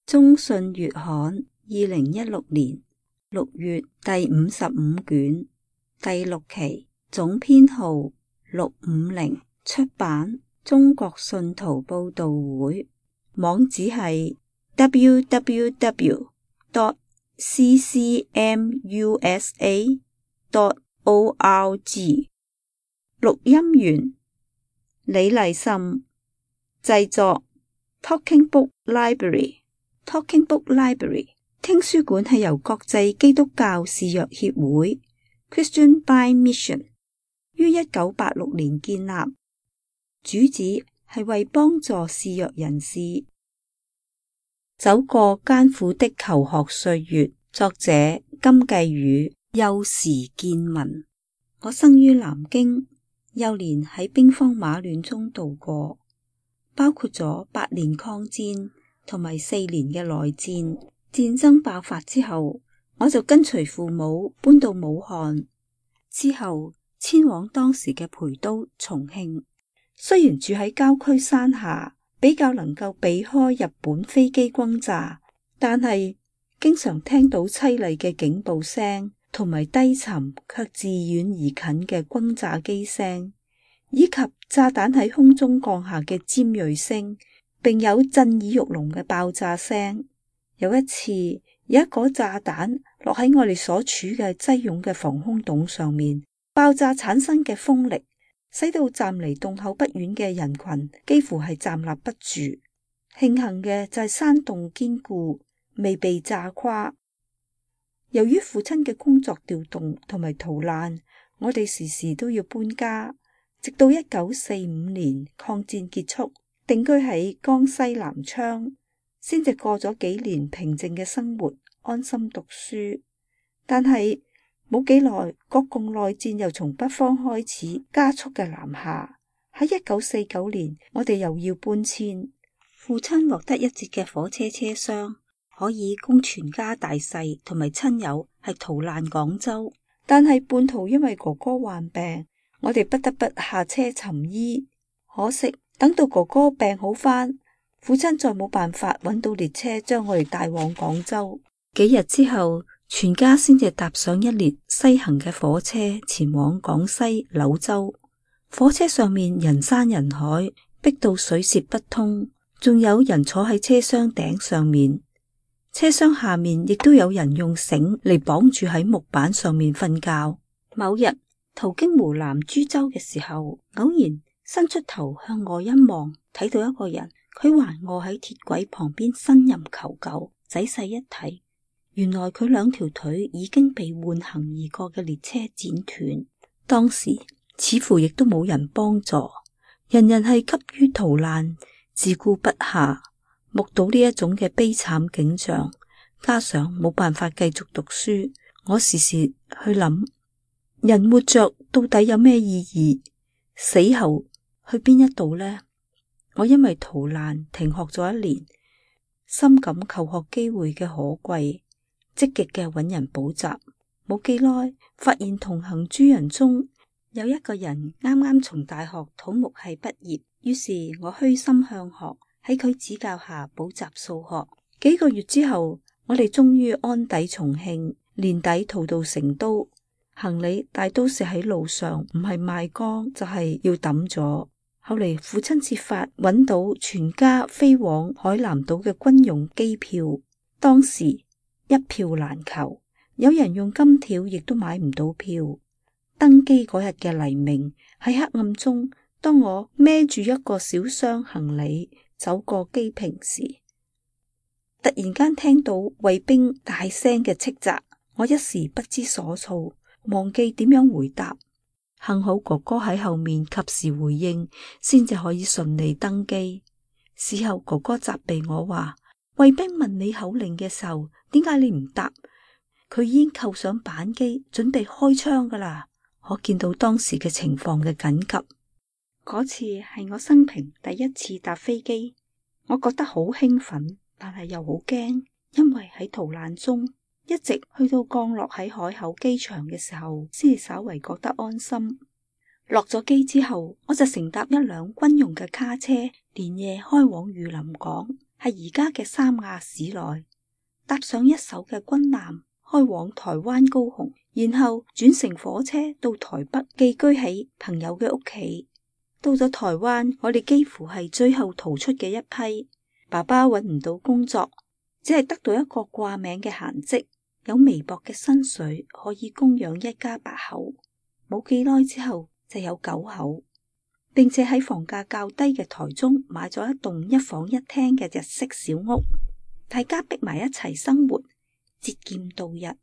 中信月刊2016年6月第55卷第6期總編號650，出版中國信徒報道會，網址係 www.ccmusa.org。 錄音員李麗岑，製作 Talking Book Library。Talking Book Library 聽書館係由國際基督教視約協會 Christian by Mission 於1986年建立，主旨係為幫助視約人士走過艱苦的求學歲月。作者金繼宇，幼時見聞。我生於南京，幼年喺兵荒馬亂中度過，包括咗8年抗戰同埋4年嘅內戰。戰爭爆發之後，我就跟隨父母搬到武漢，之後遷往當時嘅陪都重慶。雖然住喺郊區山下，比較能夠避開日本飛機轟炸，但係經常聽到淒厲嘅警報聲，同埋低沉卻自遠而近嘅轟炸機聲，以及炸彈喺空中降下嘅尖銳聲，並有震耳欲聾嘅爆炸聲。有一次，有一顆炸彈落喺我哋所處嘅擠擁嘅防空洞上面，爆炸產生嘅風力使到站離洞口不遠嘅人群幾乎係站立不住。慶幸嘅就係山洞堅固，未被炸垮。由於父親嘅工作調動同埋逃難，我哋時時都要搬家，直到1945年抗戰結束，定居喺江西南昌，先至過咗幾年平靜嘅生活，安心讀書。但係冇幾耐，國共內戰又從北方開始加速嘅南下。喺1949年，我哋又要搬遷。父親獲得一節嘅火車車廂，可以供全家大細同埋親友係逃難廣州。但係半途因為哥哥患病，我哋不得不下車尋醫。可惜等到哥哥病好返，父親再冇辦法揾到列車將我哋帶往廣州。幾日之後，全家先至搭上一列西行嘅火車，前往廣西柳州。火車上面人山人海，逼到水泄不通，仲有人坐喺車廂頂上面。車廂下面亦都有人用繩嚟綁住喺木板上面瞓覺。某日途經湖南株洲嘅時候，偶然伸出頭向外一望，睇到一個人，佢還臥喺鐵軌旁邊呻吟求救。仔細一睇，原來佢兩條腿已經被緩行而過嘅列車剪斷。當時似乎亦都冇人幫助，人人係急於逃難，自顧不暇。目睹呢一種嘅悲慘景象，加上冇辦法繼續讀書，我時時去諗，人活着到底有咩意義？死後去邊一度呢？我因為逃難停學咗1年，深感求學機會嘅可貴，積極嘅揾人補習。冇幾耐，發現同行諸人中有一個人啱啱從大學土木系畢業，於是我虛心向學，喺佢指教下補習數學。幾個月之後，我哋終於安抵重慶，年底逃到成都。行李大都是喺路上，唔係賣光就係要抌咗。後嚟父親設法揾到全家飛往海南島嘅軍用機票，當時一票難求，有人用金條亦都買唔到票。登機嗰日嘅黎明，喺黑暗中，當我孭住一個小箱行李走過機坪時，突然間聽到衛兵大聲嘅斥責，我一時不知所措，忘記點樣回答。幸好哥哥喺後面及時回應，先至可以順利登機。事後哥哥責備我話，衛兵問你口令嘅時候，點解你唔答？佢已經扣上扳機，準備開槍噶啦。可見到當時嘅情況嘅緊急。嗰次係我生平第一次搭飛機，我覺得好興奮，但係又好驚，因為喺逃難中，一直去到降落喺海口機場嘅時候，先至稍為覺得安心。落咗機之後，我就乘搭一輛軍用嘅卡車，連夜開往榆林港。係而家嘅三亞市內，搭上一艘嘅軍艦，開往台灣高雄，然後轉乘火車到台北寄居喺朋友嘅屋企。到咗台灣，我哋幾乎係最後逃出嘅一批。爸爸揾唔到工作，只係得到一個掛名嘅閒職，有微薄嘅薪水可以供養一家8口。冇幾耐之後就有9口，並且喺房價較低嘅台中買咗一棟1房1廳嘅日式小屋，大家逼埋一齊生活，節儉度日。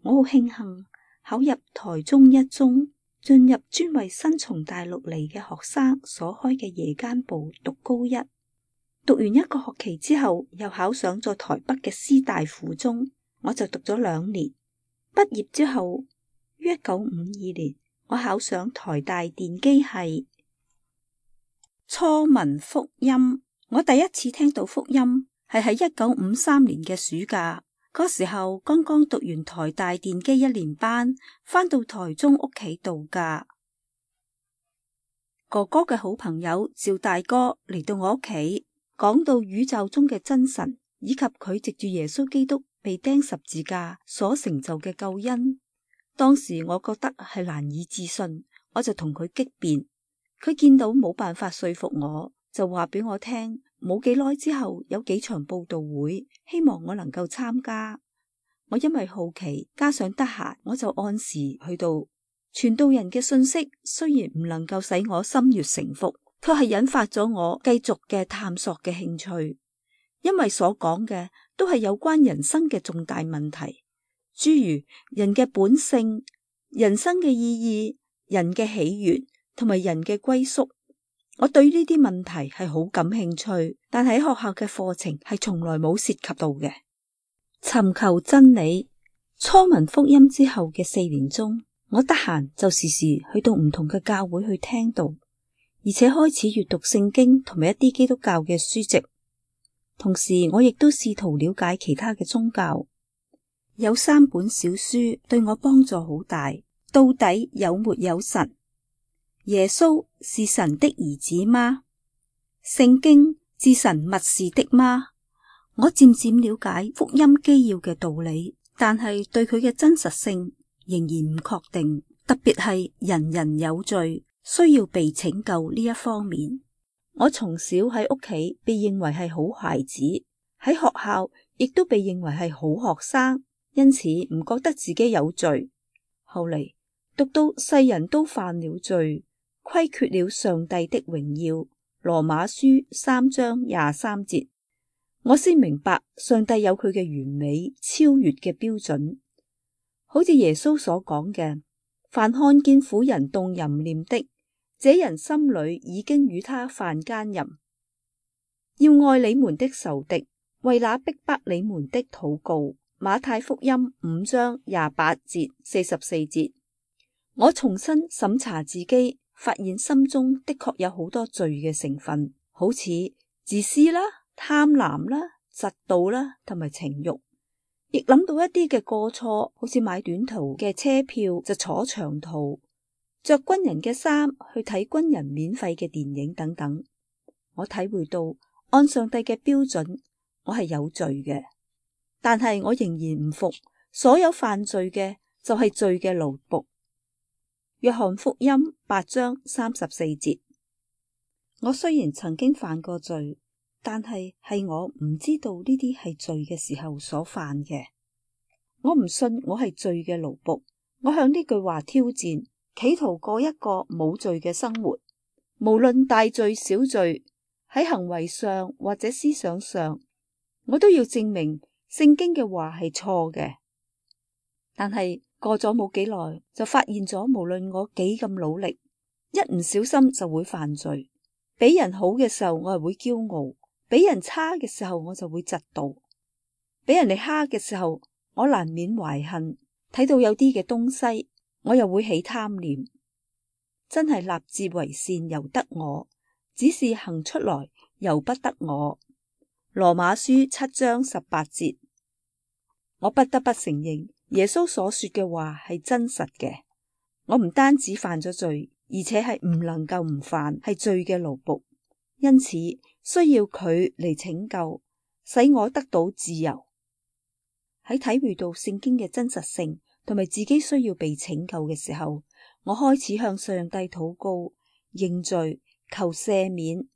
我好慶幸考入台中一中，進入專為新從大陸嚟嘅學生所開嘅夜間部讀高一。讀完一個學期之後，又考上咗台北嘅師大附中，我就讀咗2年。畢業之後，於1952年，我考上台大電機系。初聞福音，我第一次聽到福音係喺1953年嘅暑假，嗰時候剛剛讀完台大電機1年班，返到台中屋企度假。哥哥嘅好朋友趙大哥嚟到我屋企，講到宇宙中嘅真神，以及佢藉住耶穌基督被釘十字架所成就嘅救恩。當時我覺得係難以置信，我就同佢激辯。佢見到冇辦法說服我，就話俾我聽，冇幾耐之後有幾場佈道會，希望我能夠參加。我因為好奇加上得閒，我就按時去到。傳道人嘅信息雖然唔能夠使我心悅誠服，卻係引發咗我繼續嘅探索嘅興趣，因為所講嘅都係有關人生嘅重大問題，諸如人嘅本性、人生嘅意義、人嘅起源同埋人嘅歸宿。我對呢啲問題係好感興趣，但喺學校嘅課程係從來冇涉及到嘅。尋求真理，初聞福音之後嘅4年中，我得閒就時時去到唔同嘅教會去聽道，而且開始閱讀聖經同埋一啲基督教嘅書籍。同時我亦都試圖了解其他嘅宗教。有3本小書對我幫助好大。到底有沒有神？耶穌是神的兒子嗎？聖經是神默示的嗎？我漸漸了解福音基要嘅道理，但係對佢嘅真實性仍然唔確定，特別係人人有罪，需要被拯救呢一方面。我從小喺屋企被認為係好孩子，喺學校亦都被認為係好學生，因此唔覺得自己有罪。後嚟讀到世人都犯了罪，虧缺了上帝的榮耀，羅馬書3章23節，我先明白上帝有佢嘅完美超越嘅標準。好似耶穌所講嘅，凡看見婦人動淫念的，這人心裏已經與他犯奸淫。要愛你們的仇敵，為那逼迫你們的禱告。馬太福音5章28節44節。我重新審查自己，發現心中的確有好多罪嘅成分，好似自私啦、貪婪啦、嫉妒啦同埋情慾。亦諗到一啲嘅過錯，好似買短途嘅車票就坐長途，着軍人嘅衫去睇軍人免費嘅電影等等。我體會到按上帝嘅標準，我係有罪嘅，但係我仍然唔服，所有犯罪嘅就係罪嘅奴僕。約翰福音8章34節。我雖然曾經犯過罪，但係我唔知道呢啲係罪嘅時候所犯嘅。我唔信我係罪嘅奴僕。我向呢句話挑戰，企圖過一個冇罪嘅生活，無論大罪小罪，喺行為上或者思想上，我都要證明聖經嘅話係錯嘅。但係過咗冇幾耐，就發現咗無論我幾咁努力，一唔小心就會犯罪。俾人好嘅時候，我係會驕傲；俾人差嘅時候，我就會嫉妒；俾人哋蝦嘅時候，我難免懷恨。睇到有啲嘅東西，我又會起貪念。真係立志為善由得我，只是行出來由不得我。羅馬書7章18節。我不得不承認，耶穌所說嘅話係真實嘅。我唔單止犯咗罪，而且係唔能夠唔犯，係罪嘅奴僕。因此，需要佢嚟拯救，使我得到自由。喺體會到聖經嘅真實性同埋自己需要被拯救嘅時候，我開始向上帝禱告、認罪、求赦免，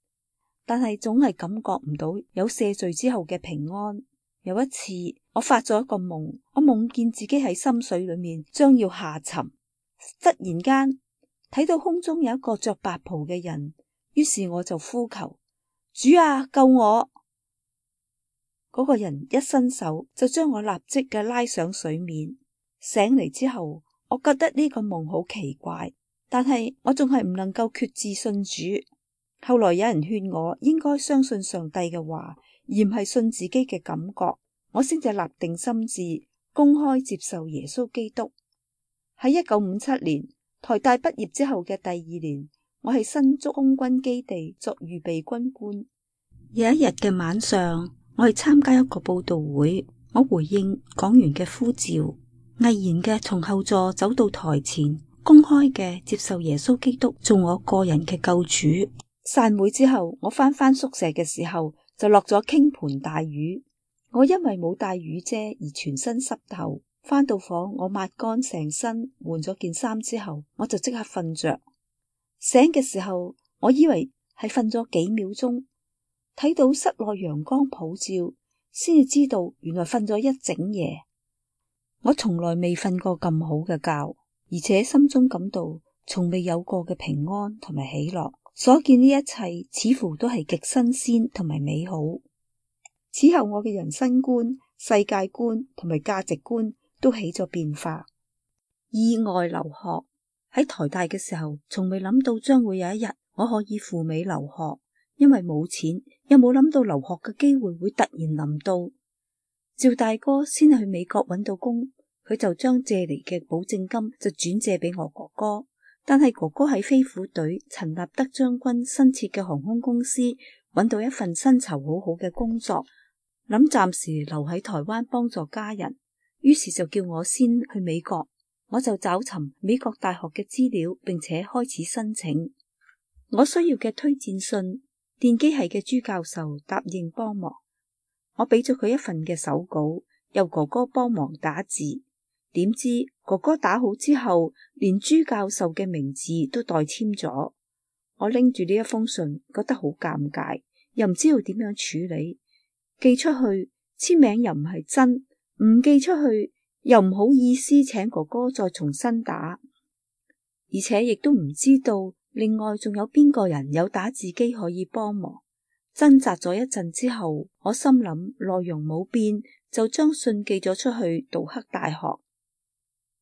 但係總係感覺唔到有赦罪之後嘅平安。有一次，我發咗一個夢，我夢見自己喺深水裏面將要下沉，忽然間睇到空中有一個着白袍嘅人，於是我就呼求：主啊，救我！嗰個人一伸手就將我立即嘅拉上水面。醒嚟之後，我覺得呢個夢好奇怪，但係我仲係唔能夠決志信主。後來有人勸我應該相信上帝嘅話，而唔係信自己嘅感覺，我先至立定心志，公開接受耶穌基督。喺1957年台大畢業之後嘅第2年，我喺新竹空軍基地作預備軍官。有一日嘅晚上，我去參加一個佈道會，我回應講員嘅呼召，毅然嘅從後座走到台前，公開嘅接受耶穌基督做我個人嘅救主。散會之後，我翻宿舍嘅時候就落咗傾盆大雨，我因為冇帶雨遮而全身濕透。翻到房，我抹乾成身，換咗件衫之後，我就即刻瞓着。醒嘅時候，我以為係瞓咗幾秒鐘，睇到室內陽光普照，先至知道原來瞓咗一整夜。我從來未瞓過咁好嘅覺，而且心中感到從未有過嘅平安同埋喜樂。所見呢一切似乎都係極新鮮同埋美好。此後我嘅人生觀、世界觀同埋價值觀都起咗變化。意外留學，喺台大嘅時候，從未諗到將會有一日我可以赴美留學，因為冇錢，又冇諗到留學嘅機會會突然臨到。趙大哥先去美國揾到工，佢就將借嚟嘅保證金就轉借俾我哥哥。但係哥哥喺飛虎隊陳立德將軍新設嘅航空公司揾到一份薪酬好好嘅工作，諗暫時留喺台灣幫助家人，於是就叫我先去美國。我就找尋美國大學嘅資料，並且開始申請我需要嘅推薦信。電機系嘅朱教授答應幫忙，我俾咗佢一份嘅手稿，由哥哥幫忙打字。點知哥哥打好之後，連朱教授嘅名字都代簽咗。我拎住呢一封信，覺得好尷尬，又唔知道點樣處理。寄出去簽名又唔係真，唔寄出去又唔好意思請哥哥再重新打，而且亦都唔知道另外仲有邊個人有打字機可以幫忙。掙扎咗一陣之後，我心諗內容冇變，就將信寄咗出去杜克大學。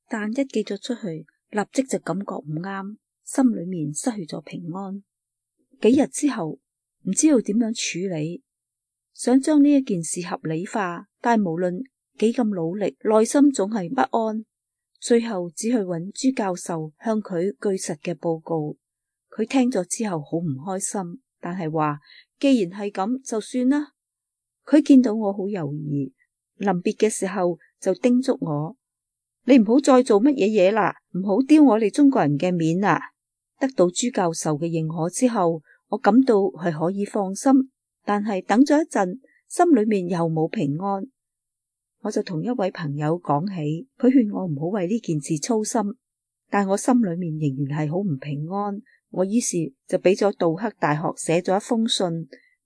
但一寄咗出去，立即就感覺唔啱，心裏面失去咗平安。幾日之後，唔知道點樣處理，想將呢一件事合理化，但無論幾咁努力，內心總係不安。最後只去揾朱教授，向佢據實嘅報告。佢聽咗之後好唔開心，但係話既然係咁就算啦。佢見到我好猶豫，臨別嘅時候就叮囑我：你唔好再做乜嘢嘢啦，唔好丟我哋中國人嘅面啊！得到朱教授嘅認可之後，我感到係可以放心，但係等咗一陣，心裏面又冇平安。我就同一位朋友講起，佢勸我唔好為呢件事操心，但我心裏面仍然係好唔平安。我於是就俾咗杜克大學寫咗一封信，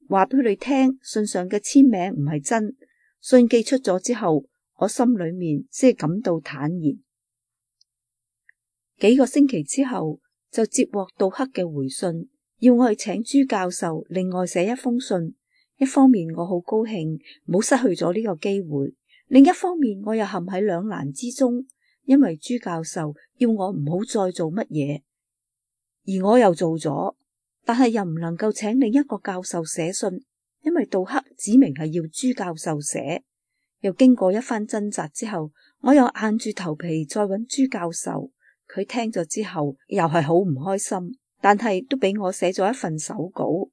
話俾佢哋聽，信上嘅簽名唔係真。信寄出咗之後，我心裏面先係感到坦然。幾個星期之後，就接獲杜克嘅回信，要我去請朱教授另外寫一封信。一方面我好高興冇失去咗呢個機會，另一方面我又陷喺兩難之中，因為朱教授要我唔好再做乜嘢，而我又做咗，但係又唔能夠請另一個教授寫信，因為杜克指明係要朱教授寫。又經過一番掙扎之後，我又硬住頭皮再揾朱教授。佢聽咗之後又係好唔開心，但係都俾我寫咗一份手稿。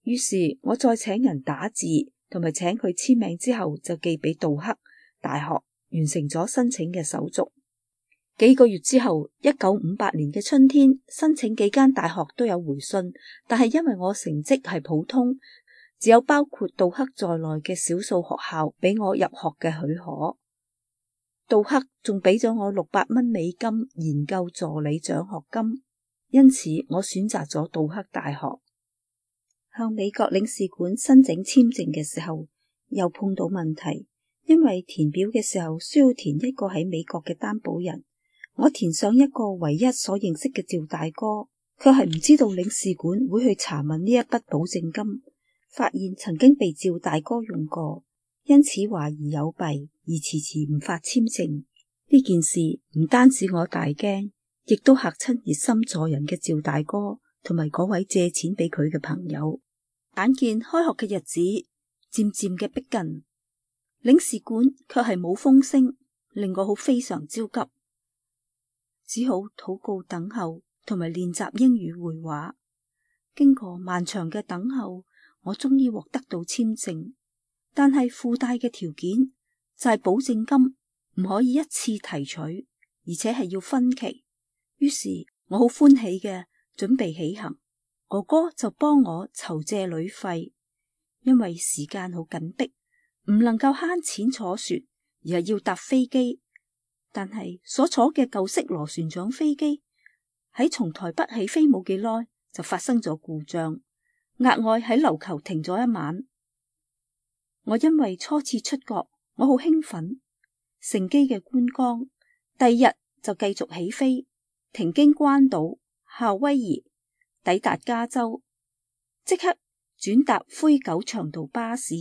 於是我再請人打字同埋請佢簽名之後，就寄俾杜克大學，完成咗申請嘅手續。幾個月之後，1958年嘅春天，申請幾間大學都有回信，但係因為我成績係普通，只有包括杜克在內嘅少數學校俾我入學嘅許可。杜克仲俾咗我600蚊美金研究助理獎學金，因此我選擇咗杜克大學。向美國領事館申請簽證嘅時候，又碰到問題，因為填表嘅時候需要填一個喺美國嘅擔保人。我填上一個唯一所認識嘅趙大哥，卻係唔知道領事館會去查問呢一筆保證金，發現曾經被趙大哥用過，因此懷疑有弊而遲遲唔發簽證。呢件事唔單止我大驚，亦都嚇親熱心助人嘅趙大哥同埋嗰位借錢俾佢嘅朋友。眼見開學嘅日子漸漸嘅逼近，領事館卻係冇風聲，令我非常焦急。只好禱告等候同埋練習英語會話。經過漫長嘅等候，我終於獲得到簽證，但係附帶嘅條件就係保證金唔可以一次提取，而且係要分期。於是我好歡喜嘅準備起行，哥哥就幫我籌借旅費，因為時間好緊迫，唔能夠慳錢坐船，而係要搭飛機。但係所坐嘅舊式螺旋槳飛機喺從台北起飛冇幾耐就發生咗故障，額外喺琉球停咗一晚。我因為初次出國，我好興奮，乘機嘅觀光。第二日就繼續起飛，停經關島、夏威夷，抵達加州，即刻轉搭灰狗長途巴士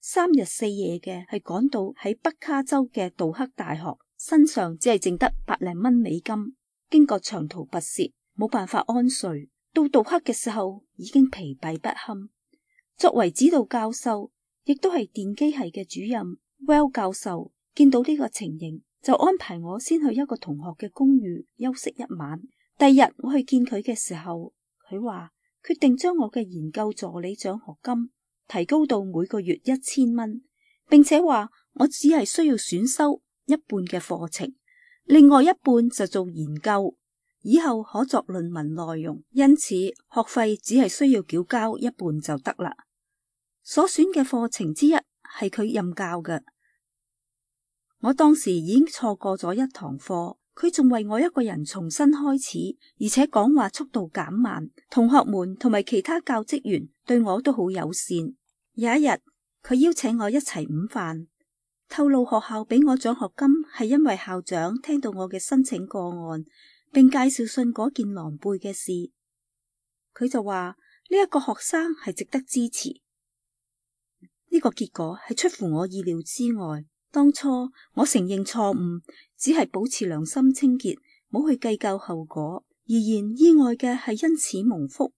，3日4夜嘅係趕到喺北卡州嘅杜克大學。身上只係剩得100零蚊美金，經過長途跋涉，冇辦法安睡。到杜克嘅時候已經疲憊不堪。作為指導教授，亦都係電機系嘅主任 Well 教授，見到呢個情形，就安排我先去一個同學嘅公寓休息一晚。第二日我去見佢嘅時候，佢話決定將我嘅研究助理獎學金提高到每個月1000蚊，並且話我只係需要選修一半嘅課程，另外一半就做研究，以後可作論文內容，因此學費只係需要繳交一半就得啦。所選嘅課程之一係佢任教嘅，我當時已經錯過咗一堂課，佢仲為我一個人重新開始，而且講話速度減慢，同學們同埋其他教職員對我都好友善。有一日，佢邀請我一齊午飯，透露學校俾我獎學金係因為校長聽到我嘅申請個案，並介紹信嗰件狼狽嘅事。佢就話呢一個學生係值得支持。呢個結果係出乎我意料之外。當初我承認錯誤，只係保持良心清潔，冇去計較後果。然意外嘅係因此蒙福，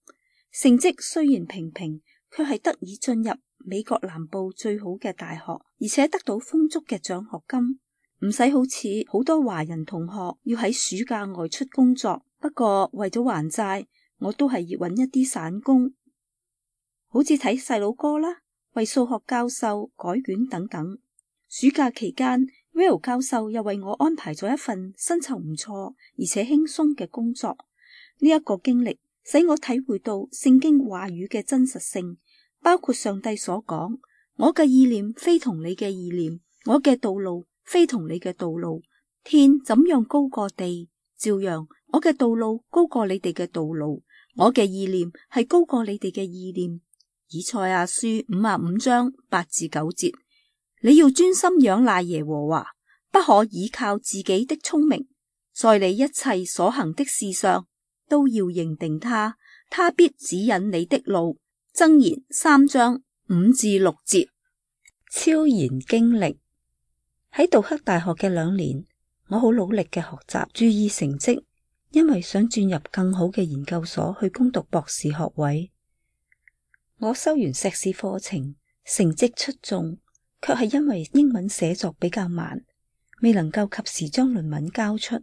成績雖然平平，卻係得以進入美國南部最好嘅大學，而且得到豐足嘅獎學金，唔使好似好多華人同學要喺暑假外出工作。不過為咗還債，我都係要揾一啲散工，好似睇細佬哥啦，為數學教授改卷等等。暑假期間 Will 教授又為我安排咗一份薪酬唔錯而且輕鬆嘅工作。呢一個經歷使我體會到聖經話語嘅真實性，包括上帝所講：我嘅意念非同你嘅意念，我嘅道路非同你嘅道路。天怎樣高過地，照樣我嘅道路高過你哋嘅道路，我嘅意念係高過你哋嘅意念。以賽亞書55章8至9節。你要專心仰賴耶和華，不可倚靠自己的聰明，在你一切所行的事上都要認定他，他必指引你的路。箴言3章5至6節。超然經歷。喺杜克大學嘅2年，我好努力嘅學習，注意成績，因為想轉入更好嘅研究所去攻讀博士學位。我修完碩士課程，成績出眾，卻係因為英文寫作比較慢，未能夠及時將論文交出。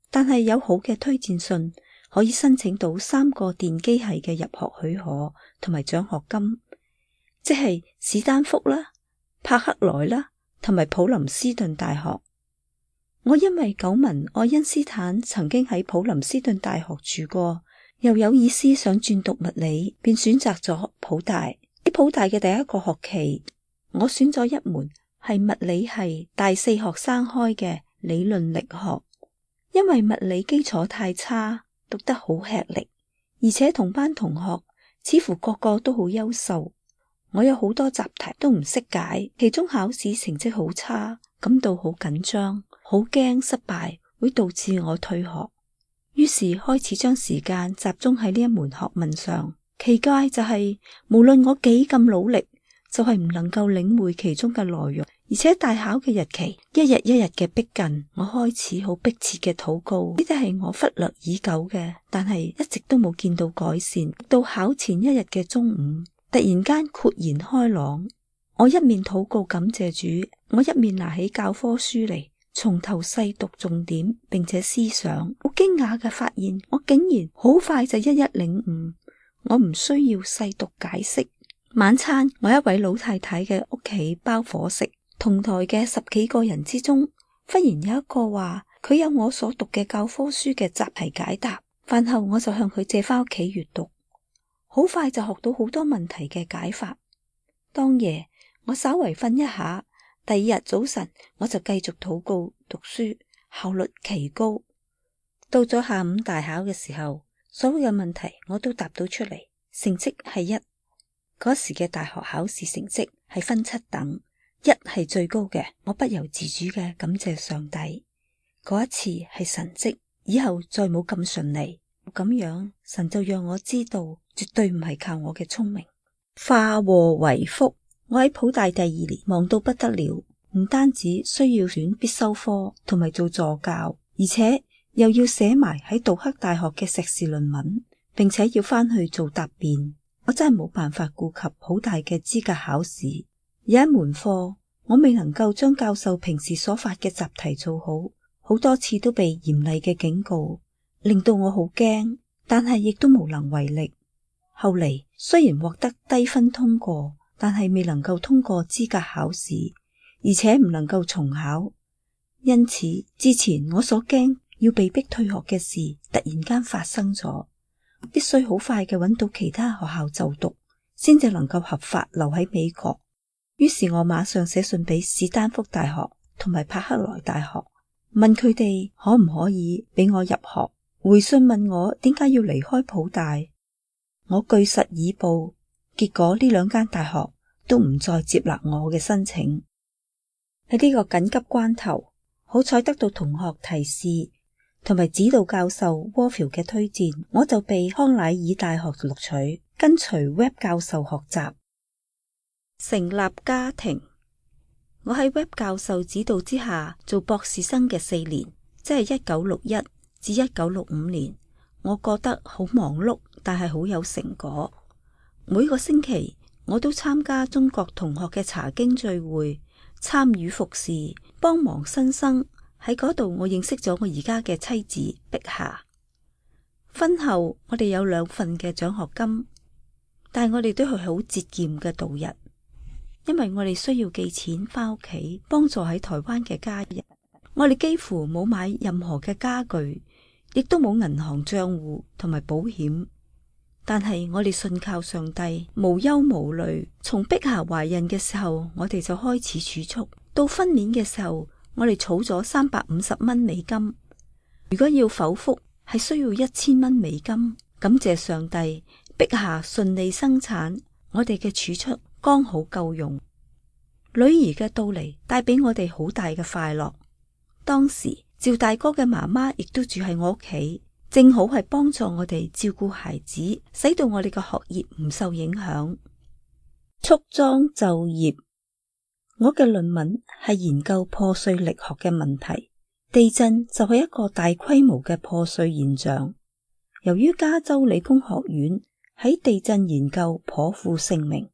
但係有好嘅推薦信，可以申請到3個電機系嘅入學許可同埋獎學金，即係史丹福啦、柏克萊啦同埋普林斯頓大學。我因為久聞愛因斯坦曾經喺普林斯頓大學住過，又有意思想轉讀物理，便選擇咗普大。喺普大嘅第一個學期，我選咗一門係物理系大4學生開嘅理論力學。因為物理基礎太差，讀得好吃力，而且同班同學似乎個個都好優秀，我有好多習題都唔識解，期中考試成績好差，感到好緊張，好驚失敗會導致我退學。於是開始將時間集中喺呢一門學問上。奇怪就係，無論我幾咁努力，就係唔能夠領會其中嘅內容，而且大考嘅日期一日一日嘅逼近，我開始好迫切嘅禱告，呢啲係我忽略已久嘅，但係一直都冇見到改善。到考前一日嘅中午，突然間豁然開朗，我一面禱告感謝主，我一面拿起教科書嚟從頭細讀重點，並且思想。好驚訝嘅發現，我竟然好快就一一領悟，我唔需要細讀解釋。晚餐我一位老太太嘅屋企包伙食，同台嘅10幾個人之中，忽然有一個話佢有我所讀嘅教科書嘅習題解答。飯後我就向佢借翻屋企閱讀，好快就學到好多問題嘅解法。當夜我稍為瞓一下，第二日早晨我就繼續禱告讀書，效率奇高。到咗下午大考嘅時候，所有嘅問題我都答到出嚟，成績係1。嗰時嘅大學考試成績係分7等，1係最高嘅，我不由自主嘅感謝上帝。嗰一次係神蹟，以後再冇咁順利。咁樣神就讓我知道，絕對唔係靠我嘅聰明。化禍為福，我喺普大第2年忙到不得了，唔單止需要選必修科同埋做助教，而且又要寫埋喺杜克大學嘅碩士論文，並且要翻去做答辯。我真係冇辦法顧及普大嘅資格考試。有一門課我未能夠將教授平時所發嘅習題做好，好多次都被嚴厲嘅警告，令到我好驚，但係亦都無能為力。後嚟雖然獲得低分通過，但係未能夠通過資格考試，而且唔能夠重考。因此之前我所驚要被逼退學嘅事突然間發生咗，必須好快嘅揾到其他學校就讀，先至能夠合法留喺美國。於是我馬上寫信俾史丹福大學同埋柏克萊大學，問佢哋可唔可以俾我入學。回信問我點解要離開普大，我據實以報，結果呢2間大學都唔再接納我嘅申請。喺呢個緊急關頭，好彩得到同學提示同埋指導教授窩夫嘅推薦，我就被康乃爾大學錄取，跟隨 Webb 教授學習。成立家庭，我喺 Webb 教授指導之下做博士生嘅4年，即係1961至1965年。我覺得好忙碌，但係好有成果。每個星期我都參加中國同學嘅查經聚會，參與服侍，幫忙新生。喺嗰度我認識咗我而家嘅妻子碧霞。婚後我哋有2份嘅獎學金，但係我哋都係好節儉嘅度日，因為我哋需要寄錢翻屋企幫助喺台灣嘅家人。我哋幾乎冇買任何嘅家具，亦都冇銀行賬戶同埋保險，但係我哋信靠上帝，無憂無慮。從碧霞懷孕嘅時候，我哋就開始儲蓄，到分娩嘅時候，我哋儲咗350蚊美金。如果要剖腹，係需要1000蚊美金。感謝上帝，碧霞順利生產，我哋嘅儲蓄剛好夠用。女兒嘅到嚟帶俾我哋好大嘅快樂。當時趙大哥嘅媽媽亦都住喺我屋企，正好係幫助我哋照顧孩子，使到我哋嘅學業唔受影響。束裝就業，我嘅論文係研究破碎力學嘅問題。地震就係一個大規模嘅破碎現象。由於加州理工學院喺地震研究頗負盛名，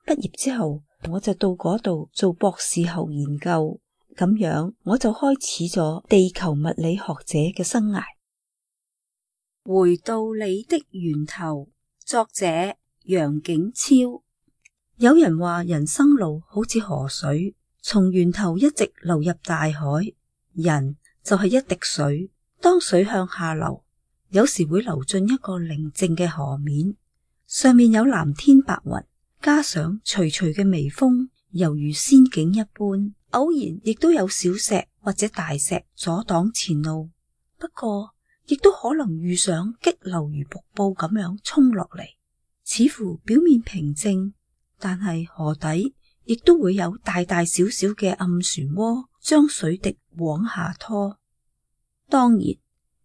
畢業之後我就到嗰度做博士後研究。咁樣我就開始咗地球物理學者嘅生涯。回到你的源頭，作者楊景超。有人話人生路好似河水，從源頭一直流入大海，人就係一滴水。當水向下流，有時會流進一個寧靜嘅河面，上面有藍天白雲，加上徐徐嘅微風，猶如仙境一般。偶然亦都有小石或者大石阻擋前路，不過亦都可能遇上激流如瀑布咁樣衝落嚟，似乎表面平靜，但係河底亦都會有大大小小嘅暗漩渦將水滴往下拖。當然，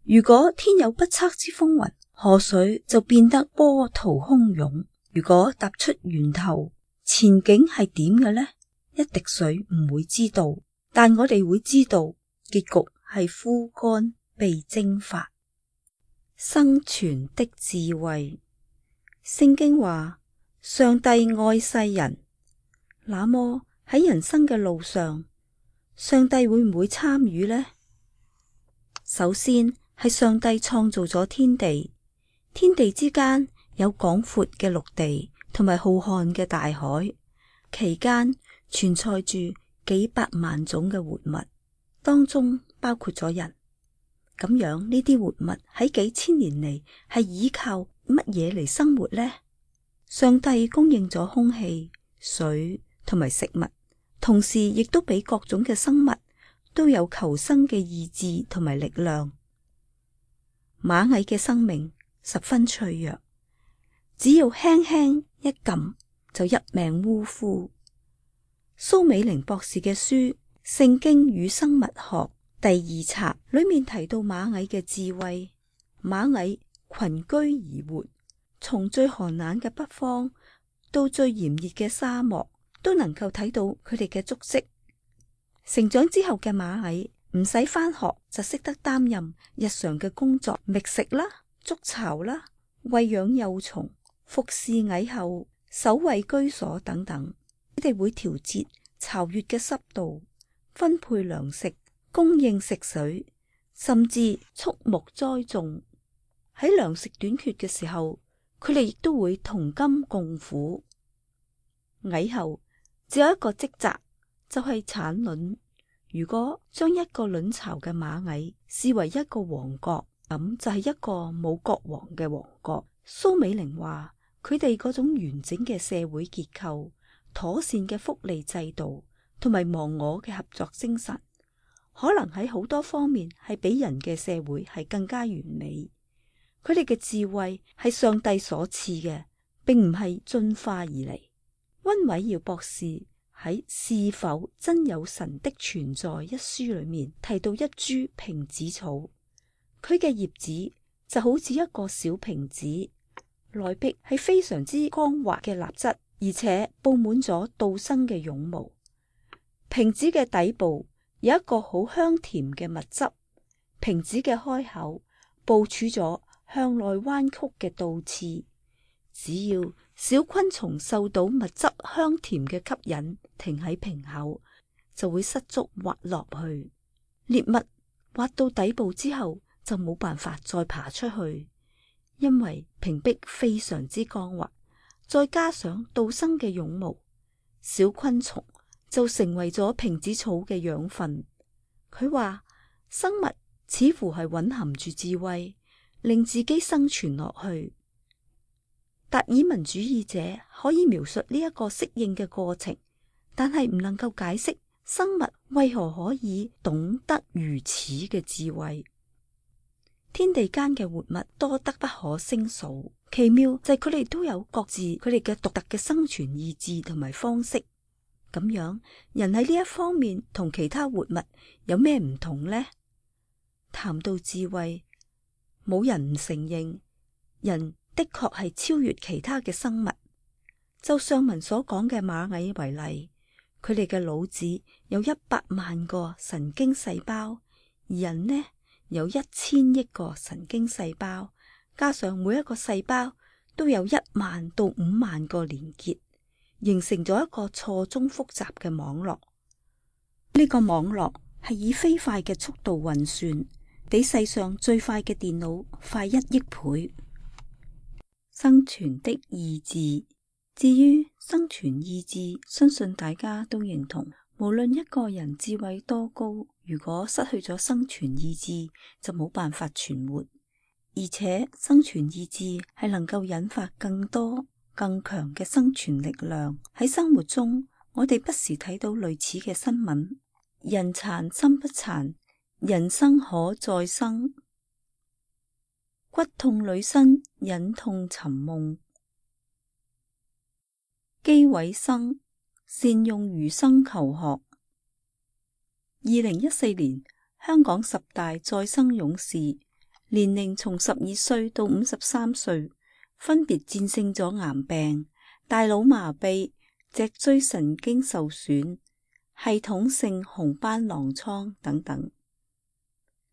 如果天有不測之風雲，河水就變得波濤洶湧。如果踏出源頭，前景係點嘅呢？一滴水唔會知道，但我哋會知道結局係枯乾被蒸發。生存的智慧，聖經話上帝愛世人，那麼喺人生嘅路上，上帝會唔會參與呢？首先係上帝創造咗天地，天地之間有廣闊嘅陸地同埋浩瀚嘅大海，期間存在住幾百萬種嘅活物，當中包括咗人。咁樣呢啲活物喺幾千年嚟係依靠乜嘢嚟生活呢？上帝供應咗空氣、水同埋食物，同時亦都俾各種嘅生物都有求生嘅意志同埋力量。螞蟻嘅生命十分脆弱，只要輕輕一撳就一命嗚呼。蘇美靈博士嘅書《聖經與生物學》第2冊裏面提到螞蟻嘅智慧。螞蟻群居而活，從最寒冷嘅北方到最炎熱嘅沙漠，都能夠睇到佢哋嘅足跡。成長之後嘅螞蟻唔使返學就識得擔任日常嘅工作，覓食啦、築巢啦、餵養幼蟲、服侍蟻后、守衛居所等等。佢哋會調節巢穴嘅濕度，分配糧食，供應食水，甚至畜牧栽種。喺糧食短缺嘅時候，佢哋亦都會同甘共苦。蟻后只有一個職責，就係產卵。如果將一個卵巢嘅螞蟻視為一個王國，咁就係一個冇國王嘅王國。蘇美靈話，佢哋嗰種完整嘅社會結構、妥善嘅福利制度同埋忘我嘅合作精神，可能喺好多方面係比人嘅社會係更加完美。佢哋嘅智慧係上帝所賜嘅，並唔係進化而嚟。溫偉耀博士喺《是否真有神的存在》一書裏面提到一株瓶子草，佢嘅葉子就好似一個小瓶子，內壁係非常之光滑嘅蠟質，而且布滿咗杜生嘅絨毛。瓶子嘅底部有一個好香甜嘅蜜汁，瓶子嘅開口部署咗向內彎曲嘅倒刺，只要小昆蟲受到蜜汁香甜嘅吸引，停喺瓶口，就會失足滑落去。獵物滑到底部之後，就冇辦法再爬出去，因為瓶壁非常之光滑，再加上杜生嘅絨毛，小昆蟲就成為咗瓶子草嘅養分。佢話生物似乎係蘊含住智慧，令自己生存落去。達爾文主義者可以描述呢一個適應嘅過程，但係唔能夠解釋生物為何可以懂得如此嘅智慧。天地間嘅活物多得不可勝數，奇妙就係佢哋都有各自佢哋嘅獨特嘅生存意志同埋方式。咁樣，人喺呢一方面同其他活物有咩唔同呢？談到智慧，冇人唔承認，人的確係超越其他嘅生物。就上文所講嘅螞蟻為例，佢哋嘅腦子有100萬個神經細胞，而人呢有1000億個神經細胞，加上每一個細胞都有1萬到5萬個連結，形成咗一個錯綜複雜嘅網絡。呢個網絡係以飛快嘅速度運算，比世上最快嘅電腦快1億倍。生存的意志，至於生存意志，相信大家都認同，無論一個人智慧多高，如果失去咗生存意志，就冇辦法存活。而且生存意志係能夠引發更多更強嘅生存力量。喺生活中，我哋不時睇到類似嘅新聞：人殘心不殘，人生可再生；骨痛女生忍痛尋夢；姬偉生善用餘生求學。2014年，香港10大再生勇士，年齡從12歲到53歲，分別戰勝咗癌病、大腦麻痹、脊椎神經受損、系統性紅斑狼瘡等等。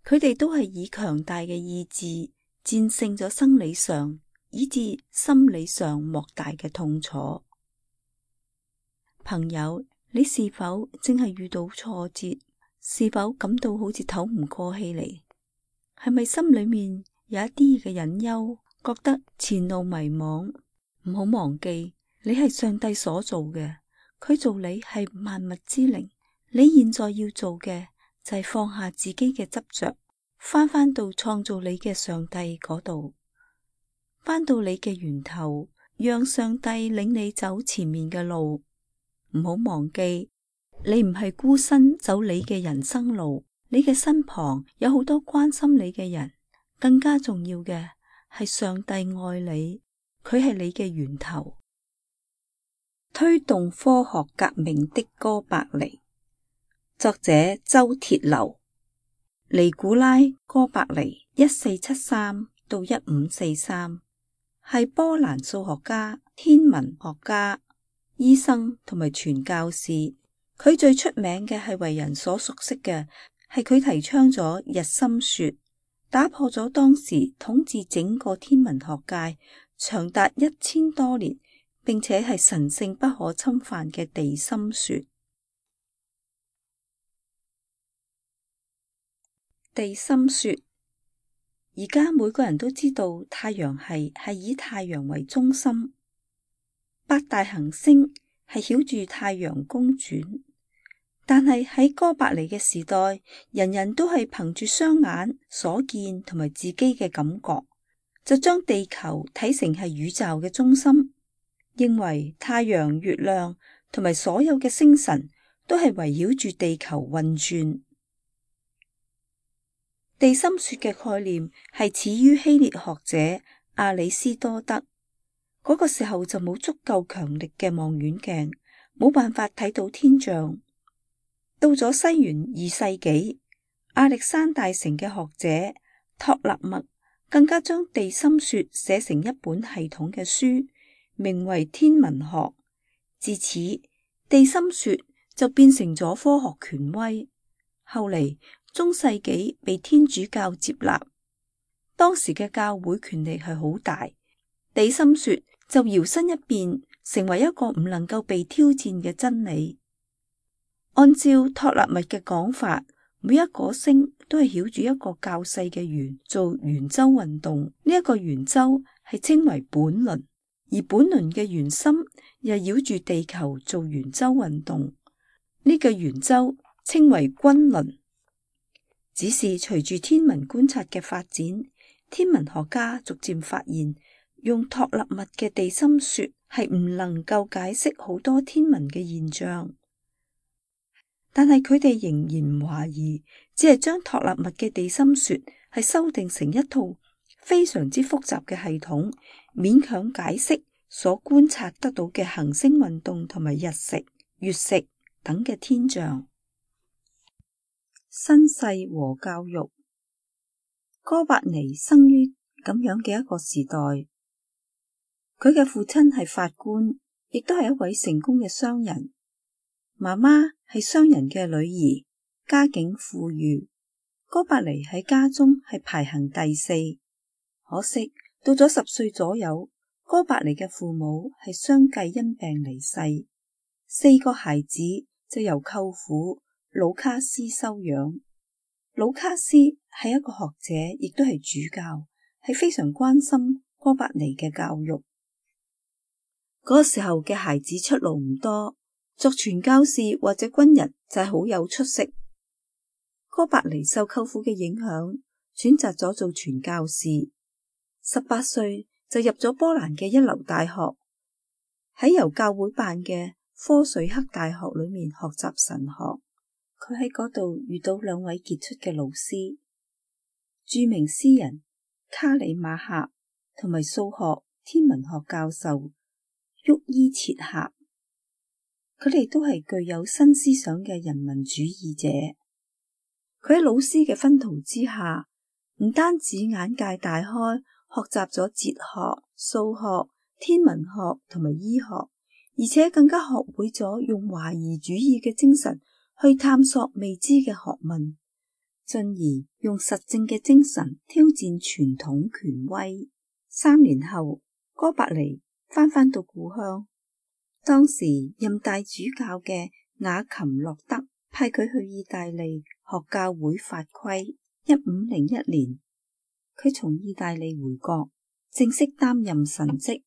佢哋都係以強大嘅意志戰勝咗生理上以至心理上莫大嘅痛楚。朋友，你是否正係遇到挫折？是否感到好似透唔過氣嚟？係咪心裏面有一啲嘅隱憂，覺得前路迷茫？唔好忘記，你係上帝所做嘅，佢做你係萬物之靈。你現在要做嘅就係放下自己嘅執着，翻到創造你嘅上帝嗰度，翻到你嘅源頭，讓上帝領你走前面嘅路。唔好忘記，你唔係孤身走你嘅人生路，你嘅身旁有好多關心你嘅人。更加重要嘅係上帝愛你，佢係你嘅源頭。推動科學革命的哥白尼，作者周鐵流。尼古拉·哥白尼1473到1543，係波蘭數學家、天文學家、醫生同埋傳教士。佢最出名嘅係為人所熟悉嘅係佢提倡咗日心說，打破咗當時統治整個天文學界長達1000多年，並且係神聖不可侵犯嘅地心說。地心說，而家每個人都知道太陽系係以太陽為中心，8大行星係繞住太陽公轉。但係喺哥白尼嘅時代，人人都係憑住雙眼所見同埋自己嘅感覺，就將地球睇成係宇宙嘅中心，認為太陽、月亮同埋所有嘅星辰都係圍繞住地球運轉。地心說嘅概念係始於希臘學者亞里斯多德。嗰個時候就冇足夠強力嘅望遠鏡，冇辦法睇到天象。到咗西元2世紀，亞歷山大城嘅學者托勒密更加將地心說寫成一本系統嘅書，名為《天文學》。自此，地心說就變成咗科學權威。後嚟，中世紀被天主教接納，當時嘅教會權力係好大，地心說就搖身一變，成為一個唔能夠被挑戰嘅真理。按照托勒密嘅講法，每一顆星都係繞住一個較細嘅圓做圓周運動。呢一個圓周係稱為本輪，而本輪嘅圓心又繞住地球做圓周運動。呢個圓周稱為均輪。只是隨住天文觀察嘅發展，天文學家逐漸發現，用托勒密嘅地心說係唔能夠解釋好多天文嘅現象。但係佢哋仍然唔懷疑，只係將托勒密嘅地心說係修訂成一套非常之複雜嘅系統，勉強解釋所觀察得到嘅行星運動同埋日食、月食等嘅天象。身世和教育。哥白尼生於咁樣嘅一個時代，佢嘅父親係法官，亦都係一位成功嘅商人。媽媽係商人嘅女兒，家境富裕。哥白尼喺家中係排行第4。可惜到咗10歲左右，哥白尼嘅父母係相繼因病離世，4個孩子就由舅父魯卡斯收養。魯卡斯係一個學者，亦都係主教，係非常關心哥白尼嘅教育。嗰個時候嘅孩子出路唔多，作傳教士或者軍人就係好有出息。哥白尼受舅父嘅影響，選擇咗做傳教士。18歲就入咗波蘭嘅一流大學，喺由教會辦嘅科瑞克大學裏面學習神學。佢喺嗰度遇到2位傑出嘅老師，著名詩人卡里馬克同埋數學天文學教授沃伊切克。佢哋都係具有新思想嘅人民主義者。佢喺老師嘅熏陶之下，唔單止眼界大開，學習咗哲學、數學、天文學同埋醫學，而且更加學會咗用懷疑主義嘅精神去探索未知嘅學問，進而用實證嘅精神挑戰傳統權威。3年後，哥白尼返到故鄉。當時任大主教嘅雅琴洛德派佢去意大利學教會法規。1501年，佢從意大利回國，正式擔任神職，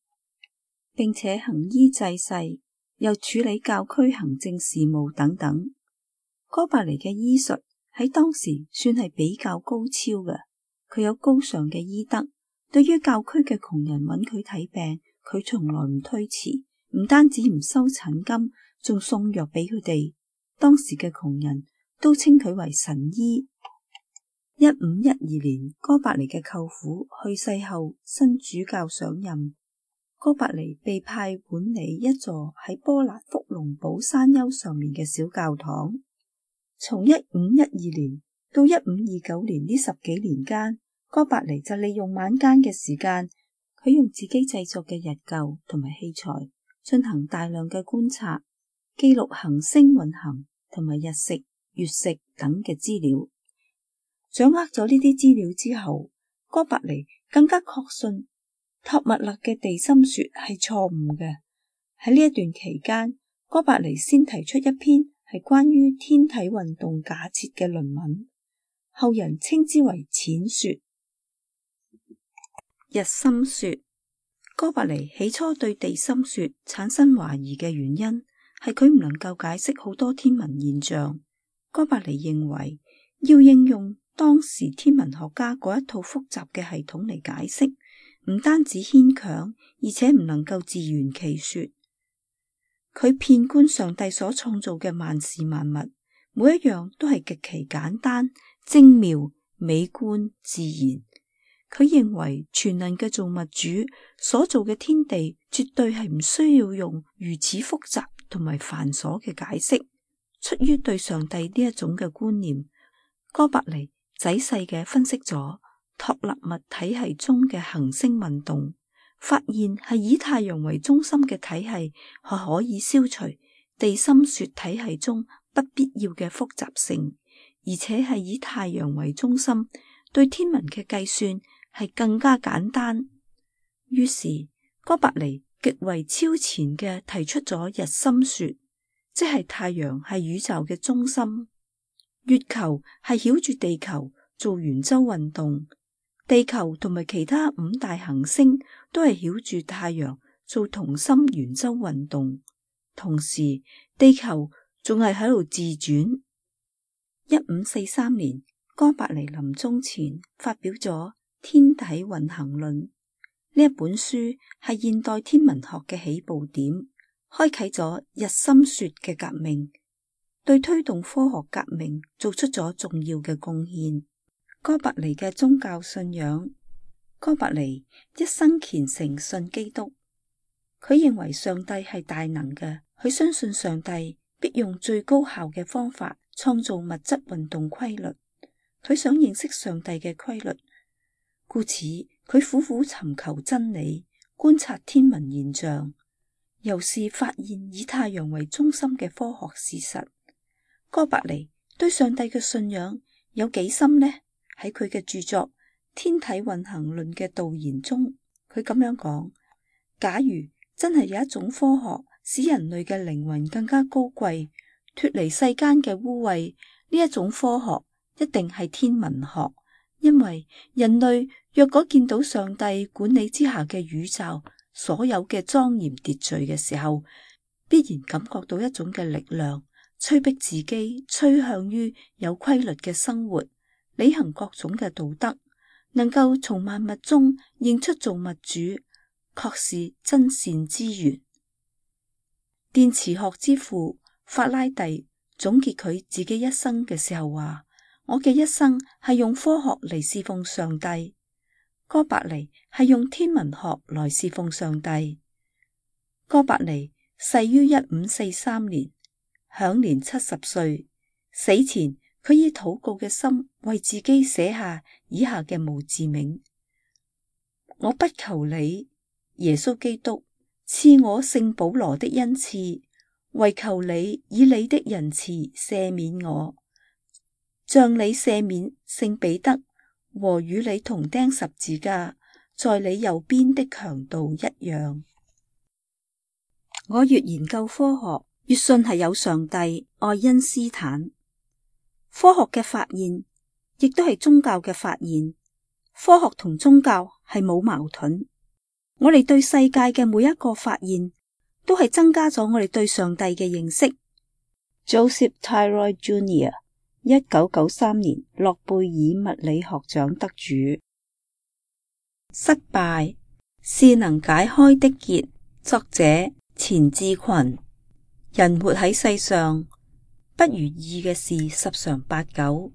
並且行醫濟世，又處理教區行政事務等等。哥白尼嘅醫術喺當時算係比較高超嘅，佢有高尚嘅醫德，對於教區嘅窮人揾佢睇病，佢從來唔推辭。唔單止唔收診金，仲送藥俾佢哋。當時嘅窮人都稱佢為神醫。1512年，哥白尼嘅舅父去世後，新主教上任，哥白尼被派管理一座喺波蘭福隆堡山丘上面嘅小教堂。從1512年到1529年呢10幾年間，哥白尼就利用晚間嘅時間，佢用自己製作嘅日曆同埋器材，進行大量嘅觀察，記錄行星運行同埋日食、月食等嘅資料。掌握咗呢啲資料之後，哥白尼更加確信托麥勒嘅地心說係錯誤嘅。喺呢一段期間，哥白尼先提出一篇係關於天體運動假設嘅論文，後人稱之為淺說。日心說。哥白尼起初對地心說產生懷疑嘅原因係佢唔能夠解釋好多天文現象。哥白尼認為要應用當時天文學家嗰一套複雜嘅系統嚟解釋，唔單止牽強，而且唔能夠自圓其說。佢遍觀上帝所創造嘅萬事萬物，每一樣都係極其簡單、精妙、美觀、自然。佢認為全能嘅造物主所做嘅天地絕對係唔需要用如此複雜同埋繁瑣嘅解釋。出於對上帝呢一種嘅觀念，哥白尼仔細嘅分析咗托勒密體系中嘅行星運動，發現係以太陽為中心嘅體系係可以消除地心說體系中不必要嘅複雜性，而且係以太陽為中心，對天文嘅計算係更加簡單。於是哥白尼極為超前嘅提出咗日心說，即係太陽係宇宙嘅中心，月球係繞住地球做圓周運動，地球同埋其他5大行星都係繞住太陽做同心圓周運動，同時地球仲係喺度自轉。1543年，哥白尼臨終前發表咗天體運行論，呢一本書係現代天文學嘅起步點，開啟咗日心說嘅革命，對推動科學革命做出咗重要嘅貢獻。哥白尼嘅宗教信仰，哥白尼一生虔誠信基督，佢認為上帝係大能嘅，佢相信上帝必用最高效嘅方法創造物質運動規律，佢想認識上帝嘅規律，故此佢苦苦尋求真理，觀察天文現象，又是發現以太陽為中心嘅科學事實。哥白尼對上帝嘅信仰有幾深呢？喺佢嘅著作《天體運行論》嘅導言中，佢咁樣講：假如真係有一種科學使人類嘅靈魂更加高貴，脫離世間嘅污穢，呢一種科學一定係天文學。因為人類若果見到上帝管理之下嘅宇宙所有嘅莊嚴秩序嘅時候，必然感覺到一種嘅力量，催逼自己趨向於有規律嘅生活，履行各種嘅道德，能夠從萬物中認出造物主，確是真善之源。電磁學之父法拉第總結佢自己一生嘅時候話：我嘅一生係用科學嚟侍奉上帝。哥白尼係用天文學來侍奉上帝。哥白尼逝於1543年，享年70歲。死前佢以禱告嘅心為自己寫下以下嘅墓誌銘：我不求你，耶穌基督，賜我聖保羅的恩賜，唯求你以你的仁慈赦免我，像你赦免聖彼得和與你同釘十字架在你右邊的強盜一樣。我越研究科學，越信係有上帝。愛因斯坦。科學嘅發現亦都係宗教嘅發現，科學同宗教係冇矛盾。我哋對世界嘅每一個發現都係增加咗我哋對上帝嘅認識。Joseph Tyrrell Jr. 1993年諾貝爾物理學獎得主。失敗是能解開的結。作者錢志群。人活喺世上，不如意嘅事十常八九，